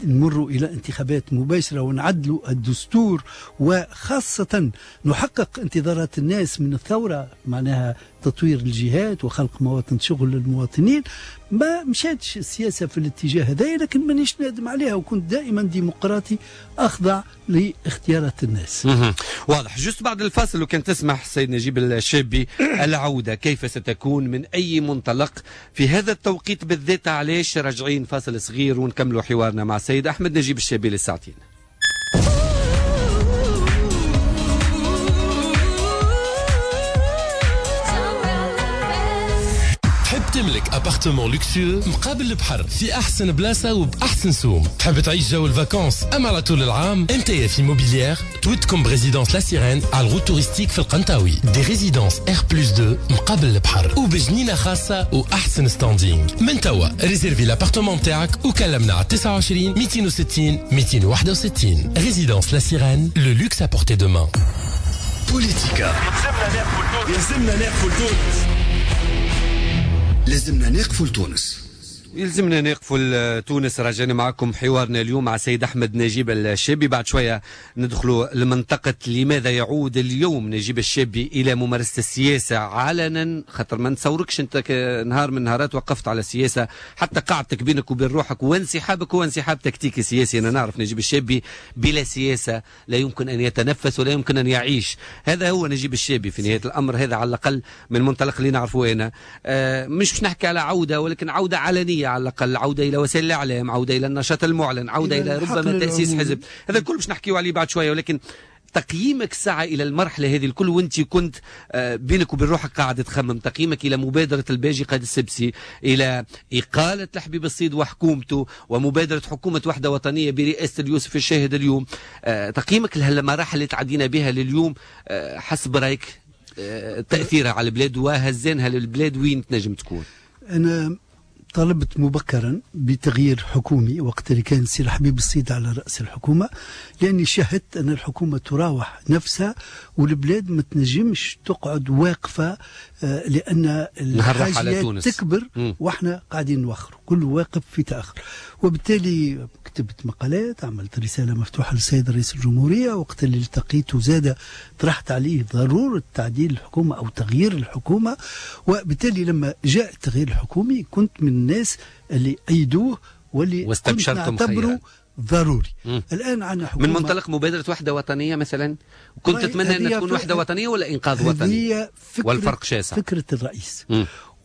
نمر إلى انتخابات مباشرة ونعدل الدستور، وخاصة نحقق انتظارات الناس من الثورة، معناها تطوير الجهات وخلق مواطن شغل للمواطنين. ما مشاتش السياسة في الاتجاه هذا، لكن مانيش نادم عليها، وكنت دائما ديمقراطي أخضع لاختيارات الناس. واضح. juste بعد الفاصل لو كان تسمح سيد نجيب الشابي، العودة كيف ستكون، من أي منطلق في هذا التوقيت بالذات؟ علاش راجعين فاصل صغير ونكملوا حوارنا مع السيد أحمد نجيب الشابي للساعتين. تملك appartement luxueux مقابل البحر في احسن بلاصة وباحسن سوم، تحب تعيش جو ال vacances اما على طول العام؟ MTF Immobilière تودكم ب résidence La Sirène على ال route touristique في القنطاوي، des résidences R+2 مقابل البحر وبجنينه خاصة واحسن standing. من توا réserver l'appartement تاعك وكلمنا على 29 260 261. Résidence La Sirène, le luxe à portée de main. بوليتيكا يلزمنا ناقفوا لتونس، لازمنا نقفوا لتونس، يلزمنا نقفوا لتونس. راجعنا معكم حوارنا اليوم مع سيد أحمد نجيب الشابي. بعد شوية ندخلوا لمنطقة لماذا يعود اليوم نجيب الشابي إلى ممارسة السياسة علنا، خاطر ما نتصوركش أنت نهار من نهارات وقفت على السياسة، حتى قعدتك بينك وبين روحك وانسحابك هو انسحاب تكتيكي سياسي. أنا نعرف نجيب الشابي بلا سياسة لا يمكن أن يتنفس ولا يمكن أن يعيش. هذا هو نجيب الشابي في نهاية الأمر، هذا على الأقل من المنطلق اللي نعرفه أنا. مش باش نحكي على عودة، ولكن عودة علنية على الأقل، عودة إلى وسائل الإعلام، عودة إلى النشاط المعلن، عودة إلى ربما تأسيس حزب. هذا الكل باش نحكيو عليه بعد شوية، ولكن تقييمك ساعة إلى المرحلة هذه الكل وأنت كنت بينك وبين روحك قاعد تخمم، تقييمك إلى مبادرة الباجي قائد السبسي، إلى إقالة الحبيب الصيد وحكومته، ومبادرة حكومة وحدة وطنية برئاسة اليوسف الشاهد اليوم، تقييمك لهالمراحل اللي تعدينا بها لليوم حسب رأيك تأثيرها على البلاد وهزانها للبلاد وين تنجم تكون؟ أنا طلبت مبكرا بتغيير حكومي وقت اللي كان سي الحبيب الصيد على رأس الحكومة، لأني شاهدت أن الحكومة تراوح نفسها والبلاد ما تنجمش تقعد واقفة، لأن الحاجيات تكبر وإحنا قاعدين نوخر، كل واقف في تأخر. وبالتالي كتبت مقالات، عملت رسالة مفتوحة للسيد رئيس الجمهورية وقت اللي التقيته زاد طرحت عليه ضرورة تعديل الحكومة أو تغيير الحكومة. وبالتالي لما جاء التغيير الحكومي كنت من الناس اللي أيدوه واللي كنت نعتبره ضروري. الآن عندنا حكومة من منطلق مبادرة وحدة وطنية مثلا، كنت تتمنى أن تكون وحدة وطنية ولا إنقاذ وطني؟ والفرق شاسع. فكرة الرئيس،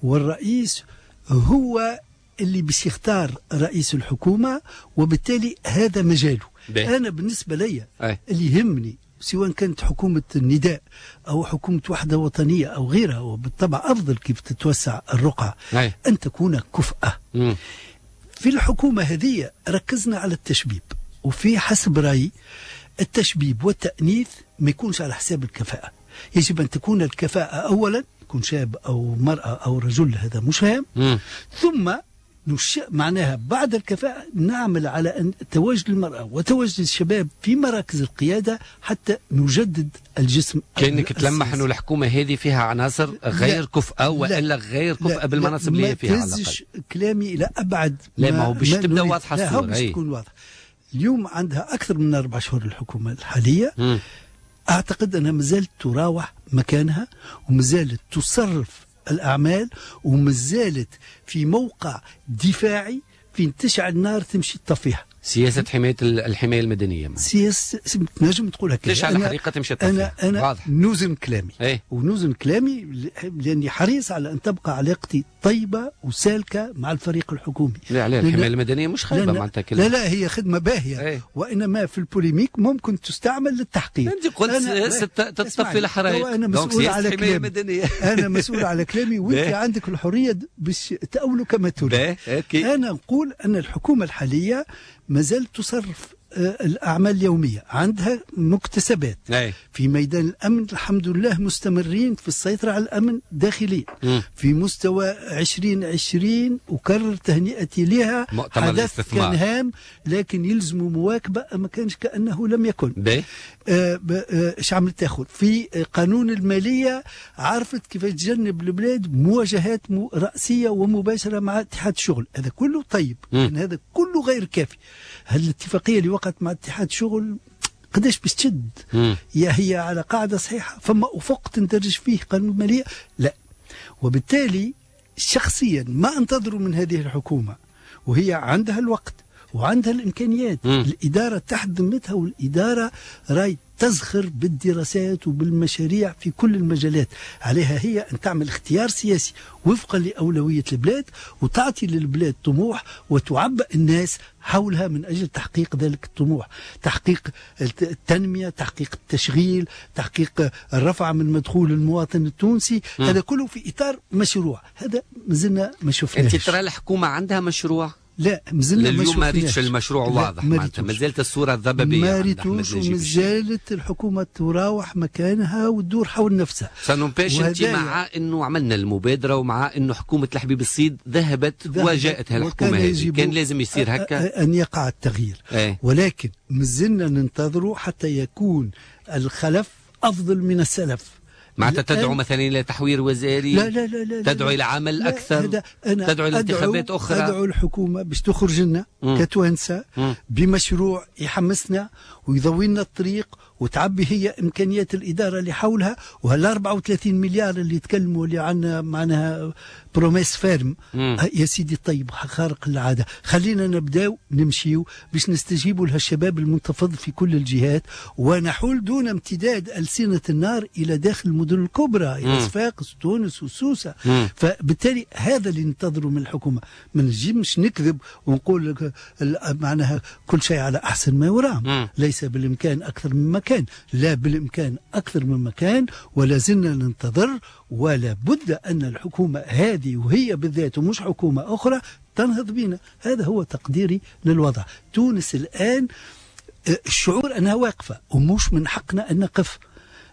والرئيس هو اللي باش يختار رئيس الحكومة، وبالتالي هذا مجاله. أنا بالنسبة لي اللي يهمني سواء كانت حكومة النداء أو حكومة وحدة وطنية أو غيرها، وبالطبع أفضل كيف تتوسع الرقعة، أن تكون كفءة. في الحكومة هذه ركزنا على التشبيب، وفي حسب رأيي التشبيب والتأنيث ما يكونش على حساب الكفاءة. يجب أن تكون الكفاءة أولا، يكون شاب أو مرأة أو رجل هذا مش هام، ثم معناها بعد الكفاءة نعمل على أن تواجد المرأة وتواجد الشباب في مراكز القيادة حتى نجدد الجسم. كأنك تلمح أنه الحكومة هذه فيها عناصر غير كفءة وإلا غير كفءة بالمناصب اللي هي فيها. ما تهزش كلامي إلى أبعد. لا، ما هو باش تبدأ واضحة الصورة. لا، باش تكون واضحة. اليوم عندها أكثر من 4 شهور الحكومة الحالية. أعتقد أنها مازالت تراوح مكانها، ومازالت تصرف الأعمال، ومازالت في موقع دفاعي فين تشعل النار تمشي تطفيها. سياسة حماية الحماية المدنية. سياسة تنجم تقول هكا. تشعل حريقة تمشي تطفيها. أنا واضح. نوزن كلامي. ونوزن كلامي لأني حريص على أن تبقى علاقتي طيبة وسالكة مع الفريق الحكومي. لا لا، الحماية المدنية مش خايبة معناتها. لا لا، هي خدمة باهية. وإنما في ال polémique ممكن تستعمل للتحقيق. أنت قلت تطفي الحرائق. أنا مسؤول على كلامي. أنا مسؤول على كلامي، وأنت عندك الحرية باش تأوله كما تريد. أنا نقول أن الحكومة الحالية ما زالت تصرف الأعمال اليومية، عندها مكتسبات في ميدان الأمن، الحمد لله مستمرين في السيطرة على الأمن داخليا. في مستوى 2020 أكرر تهنئتي لها، حدث كان هام لكن يلزم مواكبة، ما كانش كأنه لم يكن. ايش عملت تاخذ في قانون المالية؟ عرفت كيف تجنب البلاد مواجهات رأسية ومباشرة مع اتحاد الشغل. هذا كله طيب، لكن هذا كله غير كافي. هل الاتفاقية اللي وقعت مع اتحاد الشغل قداش باش تشد؟ يا هي على قاعدة صحيحة، فما أفق تندرج فيه قانون المالية؟ لا. وبالتالي شخصيا ما انتظروا من هذه الحكومة، وهي عندها الوقت وعندها الإمكانيات، الإدارة تحت ذمتها، والإدارة راي تزخر بالدراسات وبالمشاريع في كل المجالات. عليها هي أن تعمل اختيار سياسي وفقا لأولوية البلاد، وتعطي للبلاد طموح، وتعبئ الناس حولها من أجل تحقيق ذلك الطموح، تحقيق التنمية، تحقيق التشغيل، تحقيق الرفع من مدخول المواطن التونسي. هذا كله في إطار مشروع، هذا مازلنا ما شفناش. أنت ترى الحكومة عندها مشروع؟ لا، مازلنا ما اليوم ما ريتش المشروع واضح، معناتها مازالت الصورة الضبابيه، ما ريتوش، ومازالت الحكومة تراوح مكانها وتدور حول نفسها. ça n'empêche انت مع انه عملنا المبادرة، ومع انه حكومة الحبيب الصيد ذهبت وجاءت هالحكومة هذه، كان لازم يصير هكا ان يقع التغيير. ولكن مازلنا ننتظروا حتى يكون الخلف افضل من السلف. معناتها تدعو مثلا الى تحوير وزاري؟ لا لا لا لا، تدعو الى عمل اكثر، تدعو الى انتخابات اخرى. ادعو الحكومة باش تخرج لنا كتوانسه بمشروع يحمسنا ويضوي لنا الطريق، وتعبي هي امكانيات الادارة اللي حولها. وهال 34 مليار اللي يتكلموا اللي عندنا معناها promesse ferme، يا سيدي طيب خارق العادة، خلينا نبداو نمشيو باش نستجيبوا لهالشباب المنتفض في كل الجهات، ونحول دون امتداد ألسنة النار الى داخل المدن الكبرى، الى صفاقس تونس وسوسه. فبالتالي هذا اللي ننتظره من الحكومة. ما نجمش نكذب ونقول معناها كل شيء على احسن ما يرام. ليس بالامكان اكثر مما كان، لا بالامكان اكثر مما كان، ولا زلنا ننتظر. ولا بد ان الحكومة هذه وهي بالذات ومش حكومة اخرى تنهض بنا. هذا هو تقديري للوضع. تونس الان الشعور انها واقفة، ومش من حقنا ان نقف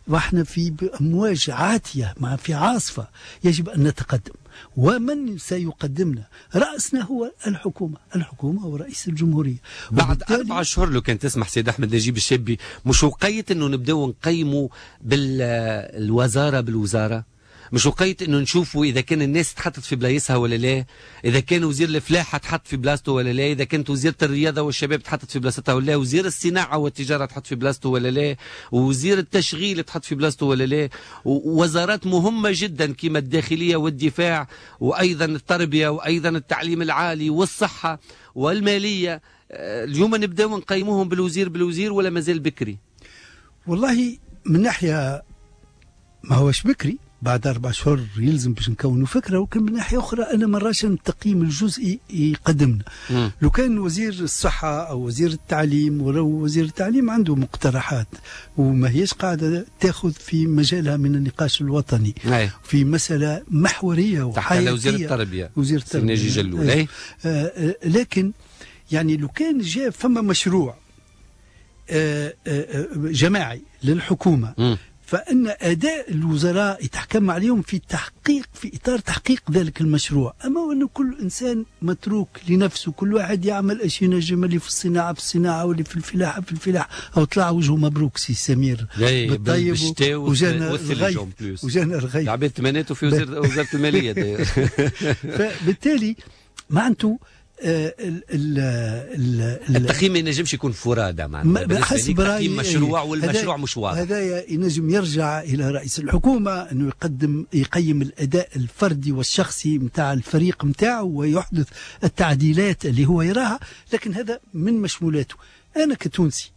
واحنا في امواج عاتية، مع في عاصفة. يجب ان نتقدم، ومن سيقدمنا رأسنا هو الحكومة، الحكومة ورئيس الجمهورية. بعد 4 أشهر لو كان تسمح سيد أحمد نجيب الشابي، مش وقيت أنه نبداو نقيموا بالوزارة بالوزارة؟ مش وقيت انه نشوفوا اذا كان الناس تحطت في بلايصها ولا لا، اذا كان وزير الفلاحة تحط في بلاصته ولا لا، اذا كانت وزيره الرياضة والشباب تحطت في بلاصتها ولا لا، وزير الصناعة والتجارة تحط في بلاصته ولا لا، وزير التشغيل تحط في بلاصته ولا لا، ووزارات مهمة جدا كما الداخلية والدفاع وايضا التربية وايضا التعليم العالي والصحة والمالية. اليوم نبداو نقيموهم بالوزير بالوزير ولا مازال بكري؟ والله من ناحية ما هوش بكري، بعد 4 شهور يلزم باش نكونوا فكرة، ولكن من ناحية اخرى انا ما نراش التقييم الجزئي يقدمنا. لو كان وزير الصحة او وزير التعليم، ولو وزير التعليم عنده مقترحات وما هيش قاعدة تاخذ في مجالها من النقاش الوطني. في مسالة محورية وحياتيه. وزير التربية، وزير التربية ناجي جلول. لكن يعني لو كان جاء فما مشروع جماعي للحكومة، فإن أداء الوزراء يتحكم عليهم في تحقيق، في إطار تحقيق ذلك المشروع. أما أنه كل إنسان متروك لنفسه، كل واحد يعمل إيش ينجم، اللي في الصناعة في الصناعة، واللي في الفلاحة في الفلاحة، أو طلع وجهه مبروك سي سمير بالطيب، وجانا الغيث، وجانا الغيث العباد تمنيته في وزارة المالية. فبالتالي معناته التقييم ما ينجمش يكون فرادى، معناتها حسب رايي مشروع والمشروع مش واضح. هذا ينجم يرجع الى رئيس الحكومة انه يقدم يقيم الاداء الفردي والشخصي نتاع الفريق نتاعه ويحدث التعديلات اللي هو يراها، لكن هذا من مشمولاته. أنا كتونسي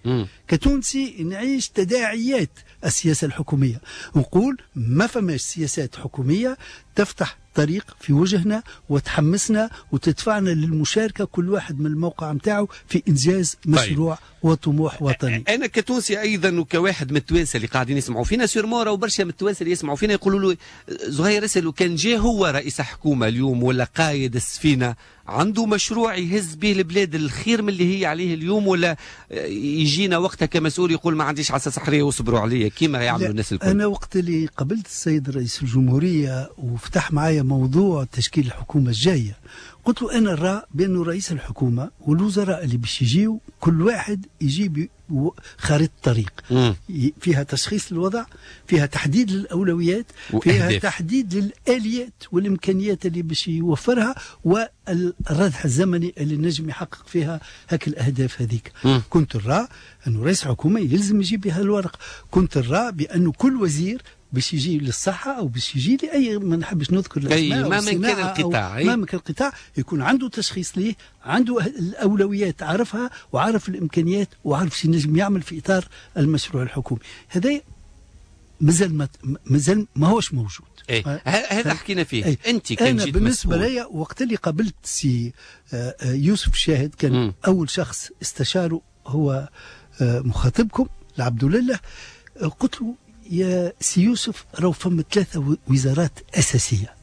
كتونسي نعيش تداعيات السياسة الحكومية، نقول ما فماش سياسات حكومية تفتح طريق في وجهنا وتحمسنا وتدفعنا للمشاركة كل واحد من الموقع متاعه في إنجاز مشروع. طيب. وطموح وطني. أنا كتونسي أيضا وكواحد من التوانسة اللي قاعدين يسمعوا فينا sûrement، وبرشا من التوانسة اللي يسمعوا فينا يقولوا له زهير اسأل، كان جا هو رئيس حكومة اليوم ولا قايد السفينة عنده مشروع يهز به البلاد الخير من اللي هي عليه اليوم، ولا يجينا وقتها كمسؤول يقول ما عنديش عصا سحرية واصبروا عليا كيما يعملوا الناس الكل؟ أنا وقت اللي قابلت السيد رئيس الجمهورية وفتح معايا موضوع تشكيل الحكومة الجاية، قلت له أنا نرى بأنه رئيس الحكومة والوزراء اللي باش يجيو كل واحد يجيب خريطة طريق فيها تشخيص للوضع، فيها تحديد للأولويات، فيها تحديد للآليات والإمكانيات اللي باش يوفرها، والردح الزمني اللي نجم يحقق فيها هاك الأهداف هذيك. كنت نرى أنه رئيس الحكومة يلزم يجيب بها الورق. كنت نرى بأنه كل وزير باش يجي للصحة أو باش يجي لأي، ما نحبش نذكر الأسماء، ما من كان القطاع، ما من كان القطاع يكون عنده تشخيص ليه، عنده الأولويات عارفها وعارف الإمكانيات وعارف شو نجم يعمل في إطار المشروع الحكومي. هذا مازال ما هوش موجود. إيه. هذا حكينا فيه. إيه. أنت كان أنا بالنسبة لي وقت اللي قابلت سي يوسف شاهد، كان أول شخص استشاره هو مخاطبكم العبد لله، قلت له يا سي يوسف راهو فما 3 وزارات أساسية.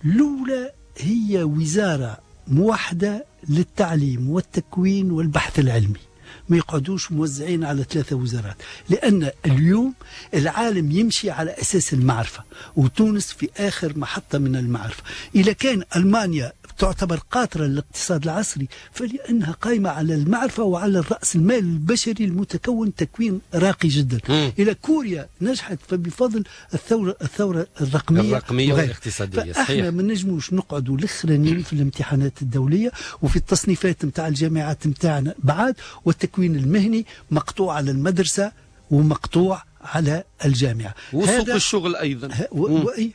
الأولى هي وزارة موحدة للتعليم والتكوين والبحث العلمي، ما يقعدوش موزعين على 3 وزارات، لأن اليوم العالم يمشي على أساس المعرفة، وتونس في آخر محطة من المعرفة. إذا كان ألمانيا تعتبر قاطرة للاقتصاد العصري فلأنها قائمة على المعرفة وعلى الرأس المال البشري المتكون تكوين راقي جدا. إلى كوريا نجحت فبفضل الثورة الرقمية والاقتصادية. فإحنا ما نجموش نقعدوا الأخرانيين في الامتحانات الدولية وفي التصنيفات متاع الجامعات متاعنا بعد، والتكوين المهني مقطوع على المدرسة ومقطوع على الجامعة وسوق الشغل أيضا.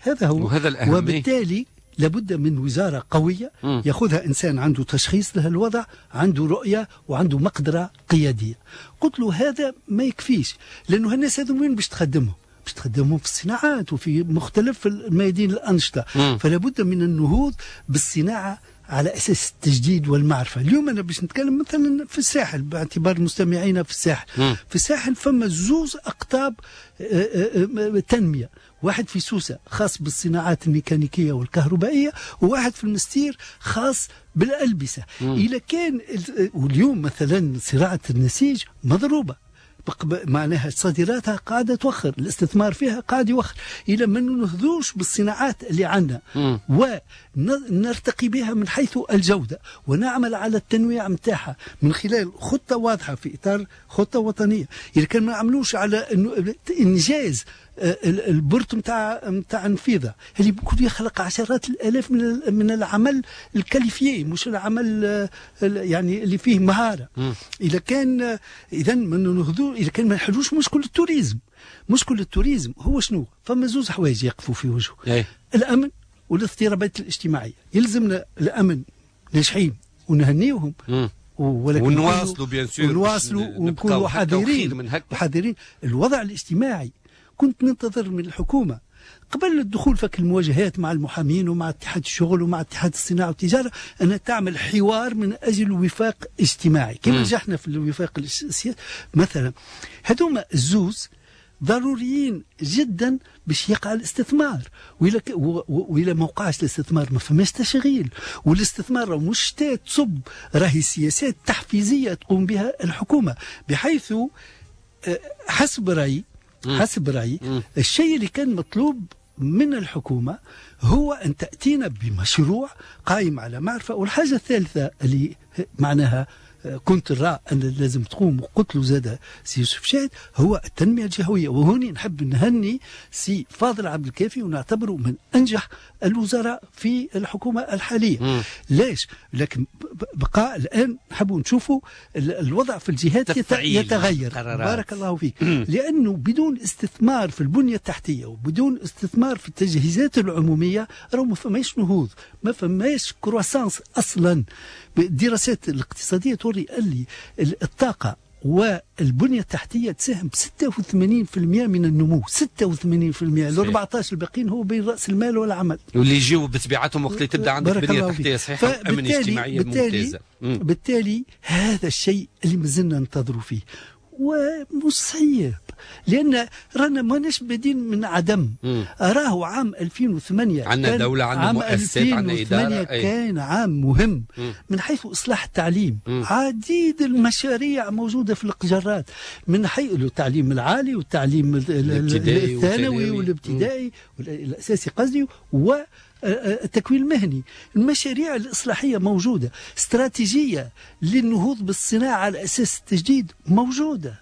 هذا هو، وهذا الأهم. وبالتالي لابد من وزارة قوية يأخذها إنسان عنده تشخيص لهالوضع، عنده رؤية وعنده مقدرة قيادية. قلت له هذا ما يكفيش، لأنه الناس هذو وين باش تخدمهم؟ باش تخدمهم في الصناعات وفي مختلف الميادين الأنشطة. فلابد من النهوض بالصناعة على أساس التجديد والمعرفة. اليوم أنا باش نتكلم مثلا في الساحل، باعتبار مستمعينا في الساحل. في الساحل فما 2 أقطاب تنمية، واحد في سوسة خاص بالصناعات الميكانيكية والكهربائية، وواحد في المستير خاص بالألبسة. إذا كان واليوم مثلا صناعة النسيج مضروبة، معناها صادراتها قاعدة توخر، الاستثمار فيها قاعد يوخر. إلى ما ننهضوش بالصناعات اللي عندنا ونرتقي بها من حيث الجودة ونعمل على التنويع متاعها من خلال خطة واضحة في إطار خطة وطنية. إذا كان ما نعملوش على إنجاز ال port متاع نفيضة اللي ممكن يخلق عشرات الآلاف من العمل ال qualifié، مش العمل يعني اللي فيه مهارة. إذا كان إذا ما ننهضو، إذا كان ما نحلوش مشكل ال tourisme. مشكل ال tourisme هو شنو؟ فما 2 حوايج يقفوا في وجهه: الأمن والاضطرابات الاجتماعية. يلزمنا الأمن ناجحين ونهنيوهم ولكن ونواصلوا bien sûr، ونواصلوا ونكونوا حذرين. الوضع الاجتماعي كنت ننتظر من الحكومة قبل الدخول فك المواجهات مع المحامين ومع اتحاد الشغل ومع اتحاد الصناعة والتجارة أن تعمل حوار من أجل وفاق اجتماعي كما نجحنا في الوفاق السياسي مثلا. هذوما الزوز ضروريين جدا باش يقع الاستثمار، وإلى ما وقعش الاستثمار ما فماش تشغيل، والاستثمار مش تصب، راهي سياسات تحفيزية تقوم بها الحكومة، بحيث حسب رأيي الشيء اللي كان مطلوب من الحكومة هو أن تأتينا بمشروع قائم على معرفة. والحاجة الثالثة اللي معناها كنت رأى أن لازم تقوم وقلت له زاد سي يوسف شاهد هو التنمية الجهوية. وهوني نحب نهني سي فاضل عبد الكافي ونعتبره من أنجح الوزراء في الحكومة الحالية. ليش؟ لكن بقى الآن نحب نشوفوا الوضع في الجهات يتغير. بارك الله فيك. لأنه بدون استثمار في البنية التحتية وبدون استثمار في التجهيزات العمومية راهو ما فماش نهوض، ما فماش croissance أصلا. الدراسات الاقتصادية توري اللي الطاقة والبنية التحتية تساهم ب 86% من النمو، 86%، ال 14 الباقيين هو بين رأس المال والعمل. واللي يجيو بطبيعتهم وقت اللي تبدا عندك بنية تحتية صحيحة وأمن اجتماعية ممتازة. بالتالي هذا الشيء اللي مازلنا ننتظروا فيه ومش صعيب، لأن رانا ماناش بادين من عدم. راهو عام 2008 عندنا دولة، عندنا مؤسسات، عندنا إدارة. كان عام مهم من حيث إصلاح التعليم. عديد المشاريع موجودة في القجرات، من حيث التعليم العالي والتعليم الثانوي والابتدائي والأساسي قصدي، و التكوين المهني. المشاريع الإصلاحية موجودة، استراتيجية للنهوض بالصناعة على أساس التجديد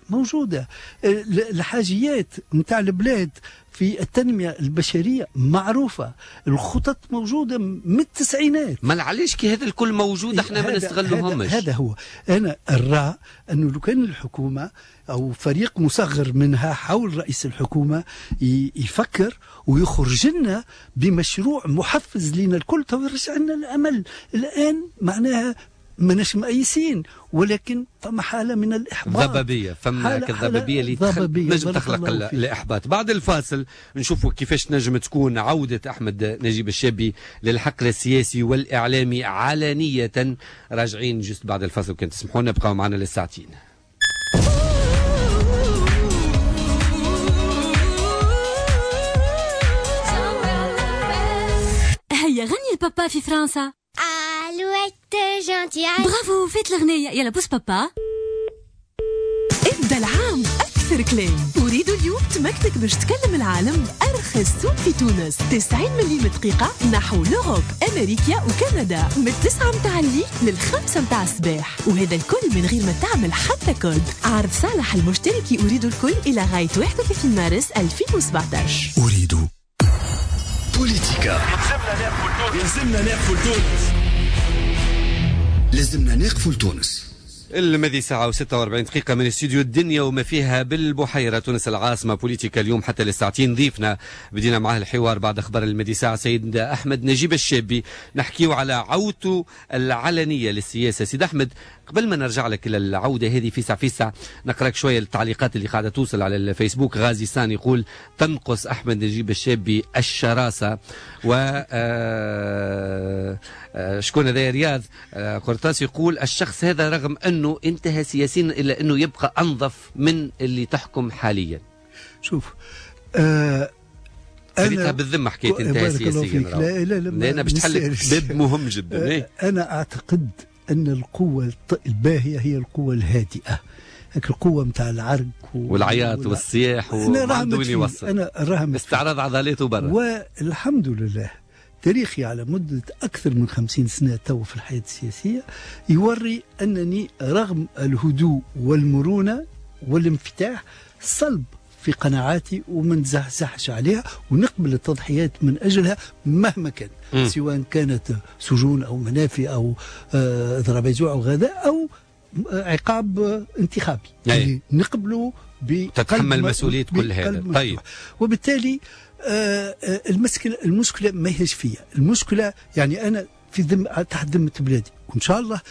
موجودة. الحاجيات نتاع البلاد في التنمية البشرية معروفة، الخطط موجودة من التسعينات. ما علاش كي هذا الكل موجود احنا ما نستغلوهمش؟ هذا هو. أنا أرى أنه لو كان الحكومة أو فريق مصغر منها حول رئيس الحكومة يفكر ويخرج لنا بمشروع محفز لنا الكل يرجع لنا الأمل. الآن معناها ماناش مأيسين، ولكن فما حالة من الإحباط، ضبابية، فما الضبابية اللي نجم تخلق الإحباط. بعد الفاصل نشوفوا كيفاش نجم تكون عودة أحمد نجيب الشابي للحقل السياسي والإعلامي علانية. راجعين juste بعد الفاصل، وكان تسمحونا بقاو معنا للساعتين. هيا غني البابا في فرنسا. Alouette gentille. برافو، فات الأغنية. يلا بوس بابا. ابدا العام أكثر كلام. أريد اليوم تمكنك باش تكلم العالم بأرخص سوق في تونس. 90 مليم دقيقة نحو l'Europe، أمريكا وكندا، من 9 متاع الليل لل5 متاع الصباح، وهذا الكل من غير ما تعمل حتى كود. عرض صالح المشتركي أريد الكل إلى غاية 31 مارس 2017. أريد بوليتيكا. يلزمنا ناقفوا لتونس. لازمنا نقفوا لتونس. الماضي ساعة و46 دقيقة من استوديو الدنيا وما فيها بالبحيرة تونس العاصمة. بوليتيكا اليوم حتى للساعتين ضيفنا بدينا معاه الحوار بعد أخبار الماضي ساعة سيد أحمد نجيب الشابي، نحكيو على عودته العلنية للسياسة. سيد أحمد، قبل ما نرجع لك للعودة هذه في ساعة نقرأك شوية التعليقات اللي قاعدة توصل على الفيسبوك. غازي سان يقول تنقص أحمد نجيب الشابي الشراسة، و شكون هذا؟ رياض قرطاس يقول الشخص هذا رغم أنه انتهى سياسيا إلا أنه يبقى أنظف من اللي تحكم حاليا. شوف، أنا بالذمة حكاية انتهى سياسيا، لا لا لا، لأن باش تحل باب مهم جدا. أنا أعتقد أن القوة الباهية هي القوة الهادئة، هيك القوة متاع العرق والعياط والصياح وما عنده وين يوصل. أنا راهم استعراض عضلاته برا. والحمد لله تاريخي على مدة أكثر من 50 سنة تو في الحياة السياسية يوري أنني رغم الهدوء والمرونة والانفتاح صلب في قناعاتي وما نزحزحش عليها، ونقبل التضحيات من أجلها مهما كان، سواء كانت سجون أو منافي أو ضربات جوع أو غذاء أو عقاب انتخابي، يعني نقبله تتحمل مسؤولية كل هذا. طيب، وبالتالي المشكلة ما هيش فيا المشكلة، يعني أنا في تحت ذمة بلادي، وإن شاء الله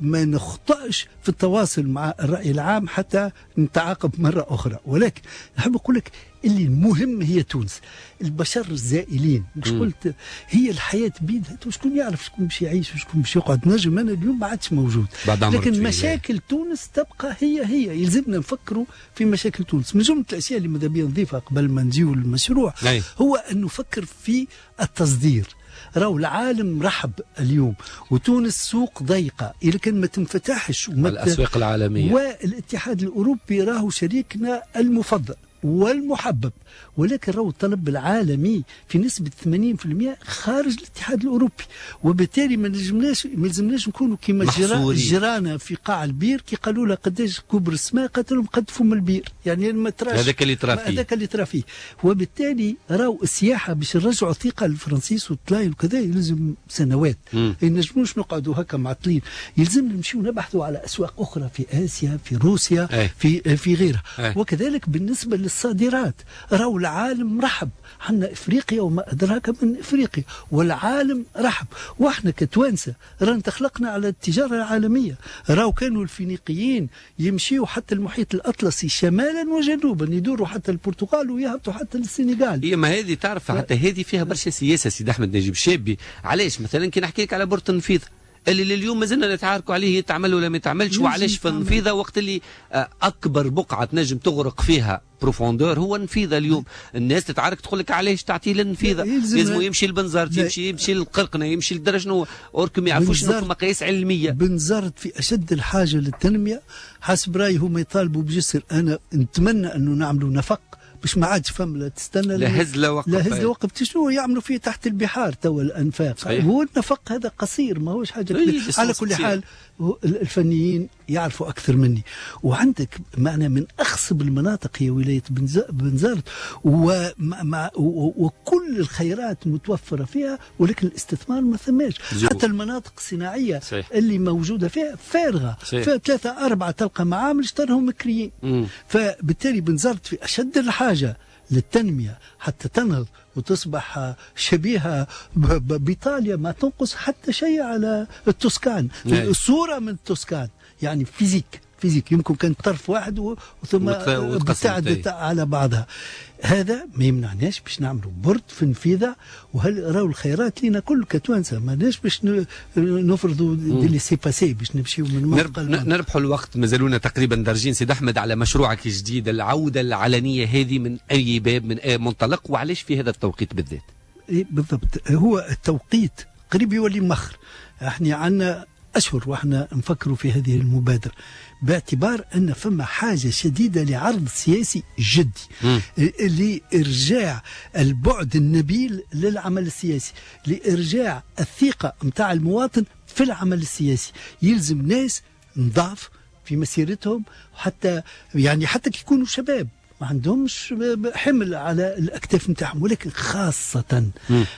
ما نخطأش في التواصل مع الرأي العام حتى نتعاقب مرة أخرى. ولكن نحب أقول لك اللي المهم هي تونس، البشر الزائلين، مش قلت هي الحياة بيدها، شكون يعرف شكون باش يعيش وشكون باش يقعد. نجم أنا اليوم ما عادش موجود، لكن مشاكل تونس تبقى هي هي. يلزمنا نفكروا في مشاكل تونس. من جملة الأشياء اللي ماذا بيا نضيفها قبل ما نجيو للمشروع هو أن نفكر في التصدير. راهو العالم رحب اليوم، وتونس سوق ضيقة إذا كان ما تنفتحش الأسواق العالمية. والاتحاد الأوروبي راهو شريكنا المفضل والمحبب، ولكن راهو الطلب العالمي في نسبة 80% خارج الاتحاد الأوروبي، وبالتالي ما لازمناش نكونوا كما جيرانا في قاع البير كي قالوا لها قداش كبر السماء قالت لهم قد فم البير، يعني ما تراش هذاك اللي ترى فيه، هذاك اللي ترى فيه. وبالتالي راهو السياحة باش نرجعوا الثقة للفرنسيس والطلاين وكذا يلزم سنوات، ما نجموش نقعدوا هكا معطلين، يلزم نمشيو نبحثوا على أسواق أخرى في آسيا، في روسيا، في غيرها. وكذلك بالنسبة للصادرات راهو العالم رحب، حنا افريقيا وما ادراك من افريقيا، والعالم رحب، واحنا كتوانسه رانا تخلقنا على التجارة العالمية. راهو كانوا الفينيقيين يمشيوا حتى المحيط الاطلسي شمالا وجنوبا، يدوروا حتى البرتغال ويهبطوا حتى للسنغال. هي ما هذه تعرف حتى هذه فيها برشا سياسة سيد احمد نجيب شابي. علاش مثلا كي نحكي لك على port النفيضة اللي لليوم مازلنا نتعاركوا عليه يتعمل ولا ما يتعملش، وعلاش في النفيضة وقت اللي اكبر بقعة تنجم تغرق فيها profondeur هو النفيضة. اليوم الناس تتعارك تقول لك علاش تعطيه للنفيضه، لازم يمشي لبنزرت، يمشي للقرقنه، يمشي لدرجة شنو، or que ما يعرفوش شنو مقاييس علمية. بنزرت في اشد الحاجة للتنمية حسب رايي، هما يطالبوا بجسر. انا نتمنى انه نعملوا نفق باش ما عادش فم لا تستنى لا هز لا وقف، لا هز لا وقف. شنو يعملوا فيه تحت البحار توا الانفاق؟ صحيح. هو النفق هذا قصير ما هوش حاجة كبيرة. على كل حال الفنيين يعرفوا اكثر مني. وعندك معنا من اخصب المناطق هي ولاية بنزرت، وكل الخيرات متوفرة فيها، ولكن الاستثمار ما ثماش. حتى المناطق الصناعية صحيح. اللي موجودة فيها فارغة، فيها 3 4 تلقى معامل اشترهم مكريين. فبالتالي بنزرت في اشد الحاجة للتنمية حتى تنهض وتصبح شبيهة بإيطاليا، ما تنقص حتى شيء على التوسكان. الصورة من التوسكان يعني physique يمكن كان طرف واحد وثم ابتعدت على بعضها. هذا ما يمنعناش باش نعملوا port في نفيذة. وهل راهو الخيرات لينا كل كتوانسه، ماناش باش نفرضوا des laissez-passer باش نمشيو من منطقة نربحوا الوقت. مازالونا تقريبا درجين سيد احمد على مشروعك الجديد، العودة العلنيه هذه من اي باب، من اي منطلق، وعلاش في هذا التوقيت بالذات؟ بالضبط، هو التوقيت قريب يولي مخر. احنا عندنا أشهر وإحنا نفكروا في هذه المبادرة، باعتبار أن فما حاجة شديدة لعرض سياسي جدي لإرجاع البعد النبيل للعمل السياسي، لإرجاع الثقة متاع المواطن في العمل السياسي. يلزم ناس نضاف في مسيرتهم، حتى يعني حتى كي يكونوا شباب ما عندهمش حمل على الأكتاف متاعهم، ولكن خاصة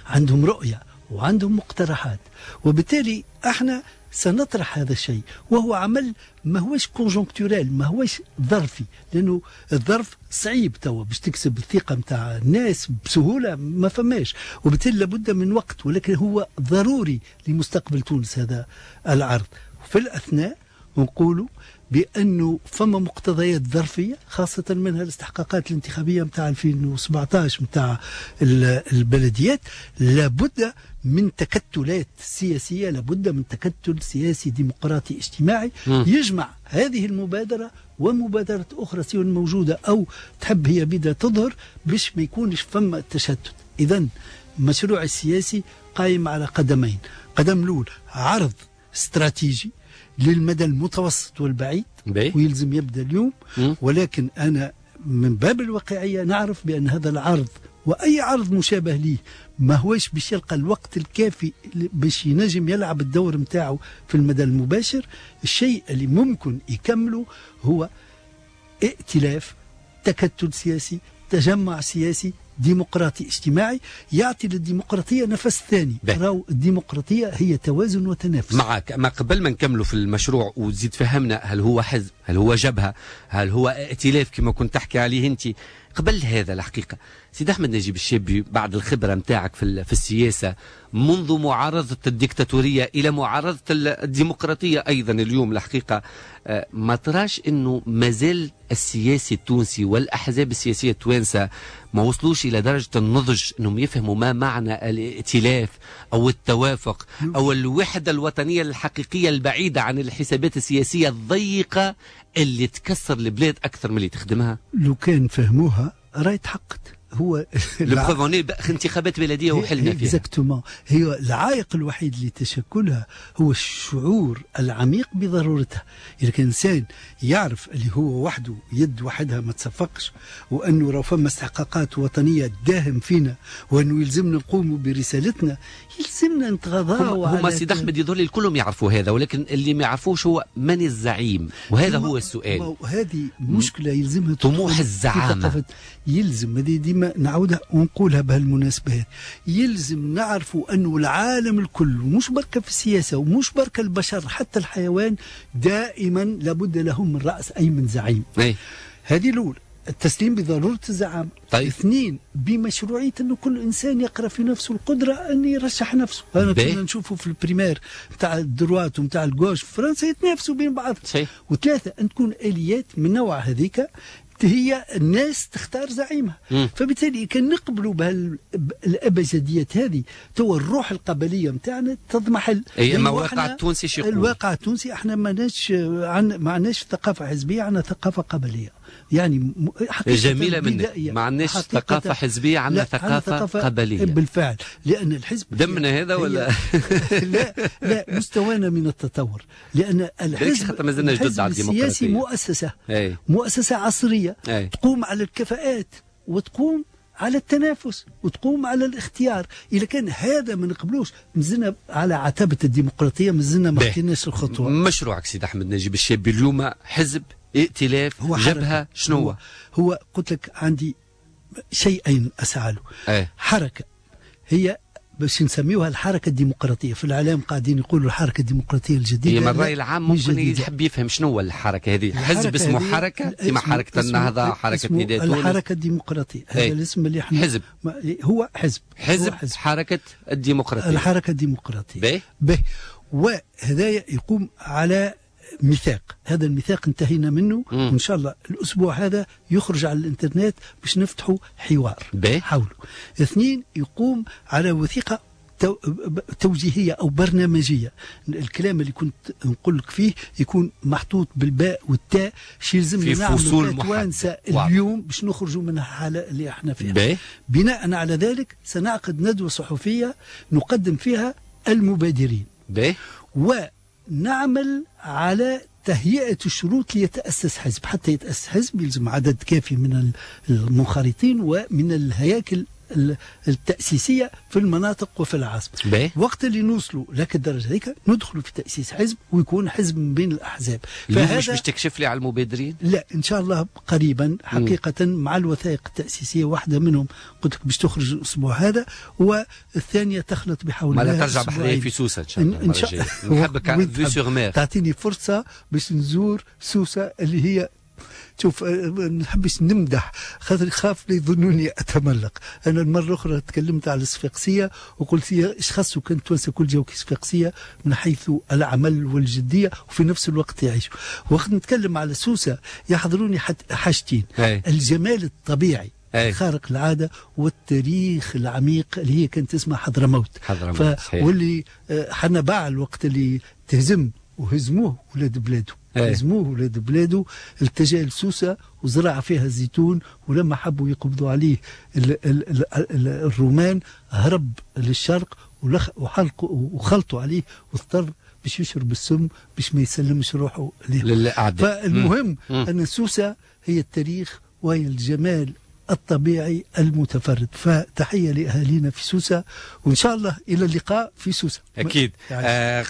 عندهم رؤية وعندهم مقترحات. وبالتالي احنا سنطرح هذا الشيء، وهو عمل ما هوش conjoncturel، ما هوش ظرفي، لانه الظرف صعيب توا باش تكسب الثقة نتاع الناس بسهولة ما فماش، وبالتالي لابد من وقت، ولكن هو ضروري لمستقبل تونس هذا العرض. وفي الاثناء نقولوا بأنه فما مقتضيات ظرفية، خاصة منها الاستحقاقات الانتخابية متاع 2017 متاع البلديات، لابد من تكتلات سياسية، لابد من تكتل سياسي ديمقراطي اجتماعي يجمع هذه المبادرة ومبادرة أخرى سواء موجودة أو تحب هي بدا تظهر، باش ما يكونش فما تشتت. إذن المشروع السياسي قائم على قدمين، قدم الأول عرض استراتيجي للمدى المتوسط والبعيد ويلزم يبدأ اليوم، ولكن أنا من باب الواقعية نعرف بأن هذا العرض وأي عرض مشابه ليه ما هوش باش يلقى الوقت الكافي باش ينجم يلعب الدور متاعه في المدى المباشر. الشيء اللي ممكن يكمله هو ائتلاف، تكتل سياسي، تجمع سياسي ديمقراطي اجتماعي يعطي للديمقراطية نفس ثاني. راهو الديمقراطية هي توازن وتنافس. معك. ما قبل ما نكملوا في المشروع وتزيد فهمنا هل هو حزب، هل هو جبهة، هل هو ائتلاف كما كنت تحكي عليه أنت، قبل هذا الحقيقة سيد أحمد نجيب الشابي، بعد الخبرة متاعك في السياسة منذ معارضة الديكتاتورية إلى معارضة الديمقراطية أيضا اليوم، الحقيقة ما تراش أنه مازال السياسي التونسي والأحزاب السياسية التوانسة ما وصلوش إلى درجة النضج أنهم يفهموا ما معنى الائتلاف أو التوافق أو الوحدة الوطنية الحقيقية البعيدة عن الحسابات السياسية الضيقة اللي تكسر البلاد أكثر من اللي تخدمها؟ لو كان فهموها راهي تحققت. هو انتخابات بلديه وحلنا فيها. exactement. هي العائق الوحيد لتشكلها هو الشعور العميق بضرورتها. اذا كان انسان يعرف اللي هو وحده يد وحدها ما تصفقش، وانه راه فما استحقاقات وطنية تداهم فينا، وانه يلزمنا نقوموا برسالتنا، يلزمنا نتغاضاو. هما سيد احمد يظل الكلهم يعرفوا هذا، ولكن اللي ما يعرفوش هو من الزعيم، وهذا هو السؤال. وهذه مشكلة يلزمها طموح الزعامه. يلزم هذه ديما نعودها ونقولها بهالمناسبة، يلزم نعرفوا أنه العالم الكل، ومش بركة في السياسة ومش بركة البشر، حتى الحيوان دائما لابد لهم من رأس أي من زعيم. هذه الأولى، التسليم بضرورة الزعامة. طيب. اثنين، بمشروعية أنه كل إنسان يقرأ في نفسه القدرة أن يرشح نفسه. أنا كنا نشوفه في ال primaires نتاع ال droite ونتاع ال gauche في فرنسا يتنافسوا بين بعض. وثلاثة، أن تكون آليات من نوع هذيك هي الناس تختار زعيمها. فبالتالي كان نقبلوا بهالابجديات هذه، تو الروح القبلية نتاعنا تضمحل. اي اما الواقع التونسي شو يقول؟ الواقع التونسي احنا ما عندناش ثقافة حزبية، عندنا ثقافة قبليه. يعني جميلة منك، ما عندناش ثقافة حزبية، عندنا ثقافة قبليه بالفعل. لان الحزب دمنا هذا ولا لا لا، مستوانا من التطور، لان الحزب السياسي مؤسسة. أي. مؤسسة عصرية. أي. تقوم على الكفاءات وتقوم على التنافس وتقوم على الاختيار. إذا كان هذا ما نقبلوش، مازلنا على عتبة الديمقراطية، مازلنا ما خديناش الخطوة. مشروعك سيد أحمد نجيب الشابي اليوم حزب، ائتلاف، هو جبهة، شنو هو؟ هو قلت لك عندي شيئين أسعى له. حركة هي باش نسميوها الحركة الديمقراطية. في الإعلام قاعدين يقولوا الحركة الديمقراطية الجديدة. هي الرأي العام ممكن يحب يفهم شنو هو الحركة هذه. حزب اسمه حركة، كما حركة النهضة، حركة نداء تونس، الحركة الديمقراطية. هذا الاسم اللي احنا حزب، هو حزب، حزب حركة الديمقراطية، الحركة الديمقراطية. به وهذا يقوم على ميثاق. هذا الميثاق انتهينا منه، وان شاء الله الاسبوع هذا يخرج على الانترنت باش نفتحوا حوار حوله. اثنين، يقوم على وثيقة توجيهيه او برنامجيه. الكلام اللي كنت نقول لك فيه يكون محطوط بالباء والتاء، شي يلزمنا نعملوا توانسة اليوم باش نخرجوا من الحالة اللي احنا فيها. بناء على ذلك سنعقد ندوه صحفية نقدم فيها المبادرين. ونعمل على تهيئة الشروط ليتأسس حزب. حتى يتأسس حزب يلزم عدد كافي من المنخرطين ومن الهياكل التأسيسية في المناطق وفي العاصمة. وقت اللي نوصلوا لك الدرجة هذيك ندخلوا في تأسيس حزب، ويكون حزب من بين الأحزاب. فهذا مش باش تكشف لي على المبادرين؟ لا، إن شاء الله قريبا حقيقة مع الوثائق التأسيسية. واحدة منهم قلت لك باش تخرج الأسبوع هذا، والثانية تخلط بحول الله. ما ترجع بحذايا في سوسة إن شاء الله. إن شاء الله نحبك vue sur mer. تعطيني فرصة باش نزور سوسة اللي هي، شوف، ما نحبش نمدح خاطر خاف يظنوني اتملق. انا المرة الاخرى تكلمت على الصفاقسيه وقلت ايش خاصو كان التوانسة كل جاو كصفاقسيه من حيث العمل والجديه وفي نفس الوقت يعيشوا. وقت نتكلم على سوسة يحضروني حاجتين: الجمال الطبيعي خارق العادة، والتاريخ العميق اللي هي كانت اسمها حضرموت. واللي حنا باع الوقت اللي تهزم وهزموه ولاد بلاده. هزموه ولاد بلاده، التجا لسوسه وزرع فيها الزيتون، ولما حبوا يقبضوا عليه الرومان هرب للشرق وخلطوا عليه واضطر باش يشرب السم باش ما يسلمش روحه للاعداء. فالمهم ان سوسة هي التاريخ وهي الجمال الطبيعي المتفرد. فتحية لأهالينا في سوسة، وإن شاء الله إلى اللقاء في سوسة أكيد.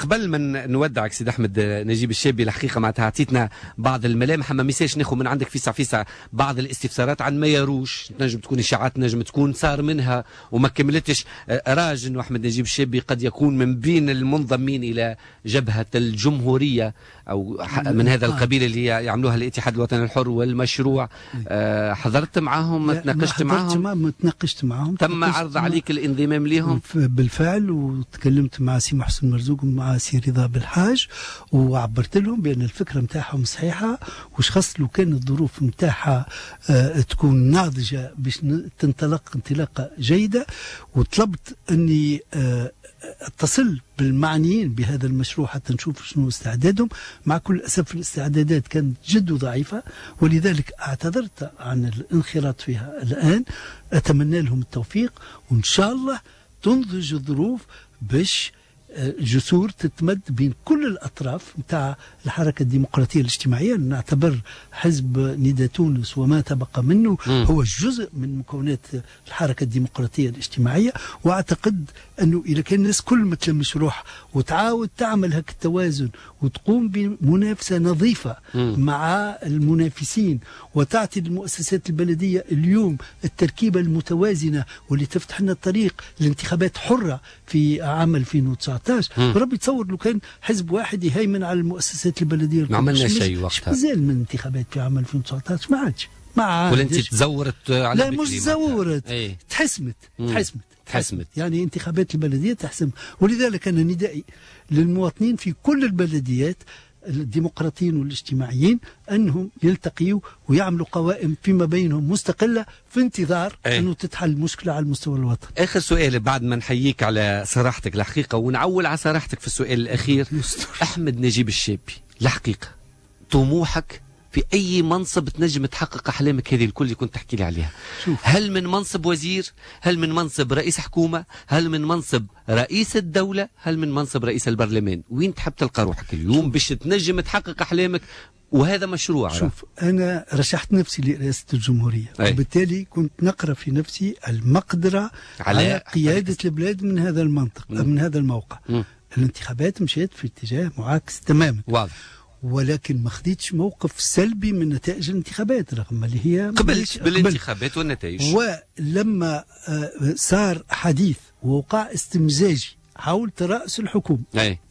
قبل ما نودعك سيد أحمد نجيب الشابي، الحقيقة معناتها عطيتنا بعض الملامح، ما ميساش ناخذ من عندك فيسع فيسع بعض الاستفسارات عن ما يروش، تنجم تكون إشاعات، نجم تكون صار منها وما كملتش. راج أنه أحمد نجيب الشابي قد يكون من بين المنضمين إلى جبهة الجمهورية أو من هذا القبيل اللي يعملوها الاتحاد الوطني الحر والمشروع. حضرت معهم؟ تناقشت معهم؟ ما تناقشت معهم. تم عرض عليك الانضمام لهم؟ بالفعل، وتكلمت مع سي محسن مرزوق ومع سي رضا بالحاج، وعبرت لهم بأن الفكرة نتاعهم صحيحة، وش خاص لو كان الظروف نتاعها تكون ناضجة باش تنطلق انطلاقة جيدة. وطلبت أني اتصل بالمعنيين بهذا المشروع حتى نشوف شنو استعدادهم. مع كل أسف الاستعدادات كانت جد ضعيفة، ولذلك اعتذرت عن الانخراط فيها الآن. أتمنى لهم التوفيق، وإن شاء الله تنضج الظروف باش جسور تتمد بين كل الأطراف نتاع الحركة الديمقراطية الاجتماعية. نعتبر حزب نداء تونس وما تبقى منه هو جزء من مكونات الحركة الديمقراطية الاجتماعية، وأعتقد أنه إذا كان الناس كل ما تلمش روح وتعاود تعمل هك التوازن وتقوم بمنافسة نظيفة مع المنافسين، وتعطي المؤسسات البلدية اليوم التركيبة المتوازنة واللي تفتح لنا الطريق لانتخابات حرة في عام 2019. ربي تصور لو كان حزب واحد يهيمن على المؤسسات البلدية، ما عملنا شيء وقتها. مازال من انتخابات في عام 2019 ما عادش. ولا انت تزورت على لا مش تزورت، تحسمت. تحسمت يعني انتخابات البلدية تحسم. ولذلك انا ندائي للمواطنين في كل البلديات الديمقراطيين والاجتماعيين انهم يلتقيوا ويعملوا قوائم فيما بينهم مستقلة في انتظار انه تتحل المشكلة على المستوى الوطني. اخر سؤال بعد ما نحييك على صراحتك الحقيقة ونعول على صراحتك في السؤال الاخير. احمد نجيب الشابي، الحقيقة طموحك في اي منصب تنجم تحقق احلامك هذه الكل اللي كنت تحكي لي عليها؟ شوف. هل من منصب وزير؟ هل من منصب رئيس حكومة؟ هل من منصب رئيس الدولة؟ هل من منصب رئيس البرلمان؟ وين تحب تلقى روحك اليوم باش تنجم تحقق احلامك؟ وهذا مشروع. شوف، انا رشحت نفسي لرئاسة الجمهورية، وبالتالي كنت نقرا في نفسي المقدرة على قيادة البلاد من هذا المنطق، من هذا الموقع. الانتخابات مشيت في اتجاه معاكس تماما. واضح. ولكن ما خديتش موقف سلبي من نتائج الانتخابات رغم اللي هي قبلت بالانتخابات والنتائج. ولما صار حديث ووقع استمزاجي حول ترأس الحكومة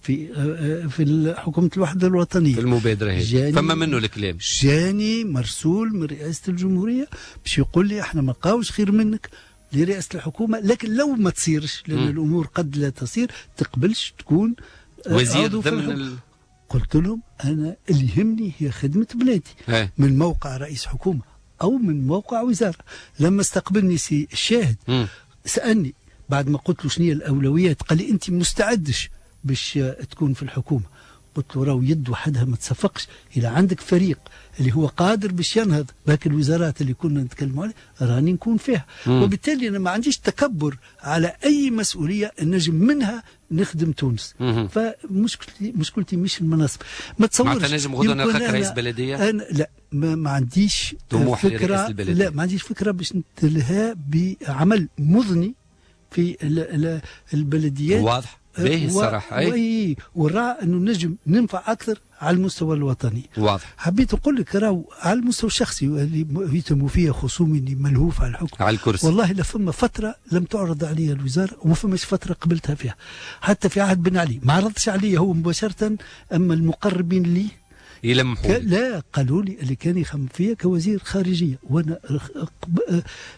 في حكومة الوحدة الوطنية في المبادرة هذه، فما منه الكلام. جاني مرسول من رئاسة الجمهورية باش يقول لي احنا ما لقاوش خير منك لرئاسة الحكومة، لكن لو ما تصيرش لأن الأمور قد لا تصير، تقبلش تكون وزير ضمن قلت لهم أنا اللي يهمني هي خدمة بلادي من موقع رئيس حكومة أو من موقع وزارة. لما استقبلني سي الشاهد سألني بعد ما قلت له شنو هي الأولويات، قال لي أنت مستعدش باش تكون في الحكومة. قلت له راهو يد وحدها ما تصفقش، إذا عندك فريق اللي هو قادر باش ينهض بهاك الوزارات اللي كنا نتكلموا عليها راني نكون فيها. وبالتالي أنا ما عنديش تكبر على أي مسؤولية نجم منها نخدم تونس. فمشكلتي مشكلتي مش المناصب. ما تصورش معناتها نجم غدوة نلقاك رئيس بلدية؟ أنا لا، ما عنديش طموح فكرة، لا ما عنديش فكرة باش نتلهى بعمل مضني في البلديات. واضح. باهي الصراحة. اي ورا انه نجم ننفع اكثر على المستوى الوطني. واضح. حبيت نقول لك راهو على المستوى الشخصي اللي يتموا فيه خصومي اللي ملهوف على الحكم على الكرسي، والله لا فما فترة لم تعرض علي الوزارة وما فماش فترة قبلتها فيها. حتى في عهد بن علي ما عرضش علي هو مباشرة، اما المقربين لي يلمحوا لا قالوا لي اللي كان يخمم فيا كوزير خارجية، وانا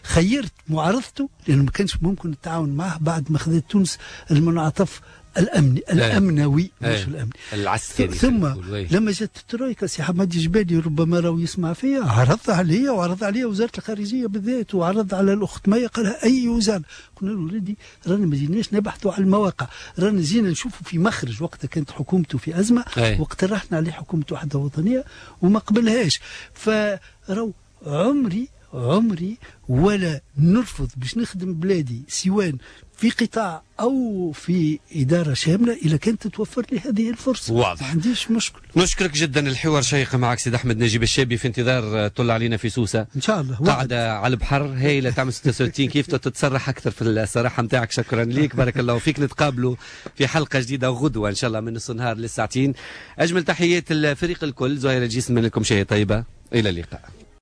خيرت معارضته لانه ما كانش ممكن التعاون معه بعد ما خذت تونس المنعطف الامني الامنوي مش الامني العسكري. ثم لما جت الترويكا سي حماد جبالي ربما راهو يسمع فيا، عرض عليا وعرض عليا وزارة الخارجية بالذات، وعرض على الاخت مايا، قالها اي وزارة؟ قلنا له ولدي رانا ما جيناش نبحثوا على المواقع، رانا جينا نشوفوا في مخرج. وقتها كانت حكومته في ازمة واقترحنا عليه حكومة وحده وطنية وما قبلهاش. فراو عمري عمري ولا نرفض باش نخدم بلادي سواء في قطاع او في ادارة شاملة اذا كانت تتوفر لي هذه الفرصة. واضح. ما عنديش مشكل. نشكرك جدا، الحوار شيق معك سيد احمد نجيب الشابي، في انتظار طل علينا في سوسة ان شاء الله. قاعدة على البحر هايلة تعمل 66 كيف تتسرح اكثر في الصراحة نتاعك. شكرا ليك، بارك الله فيك. نتقابلوا في حلقة جديدة غدوه ان شاء الله من نص النهار للساعتين. اجمل تحيات الفريق الكل، زهير الجسم لكم شيء طيبة، الى اللقاء.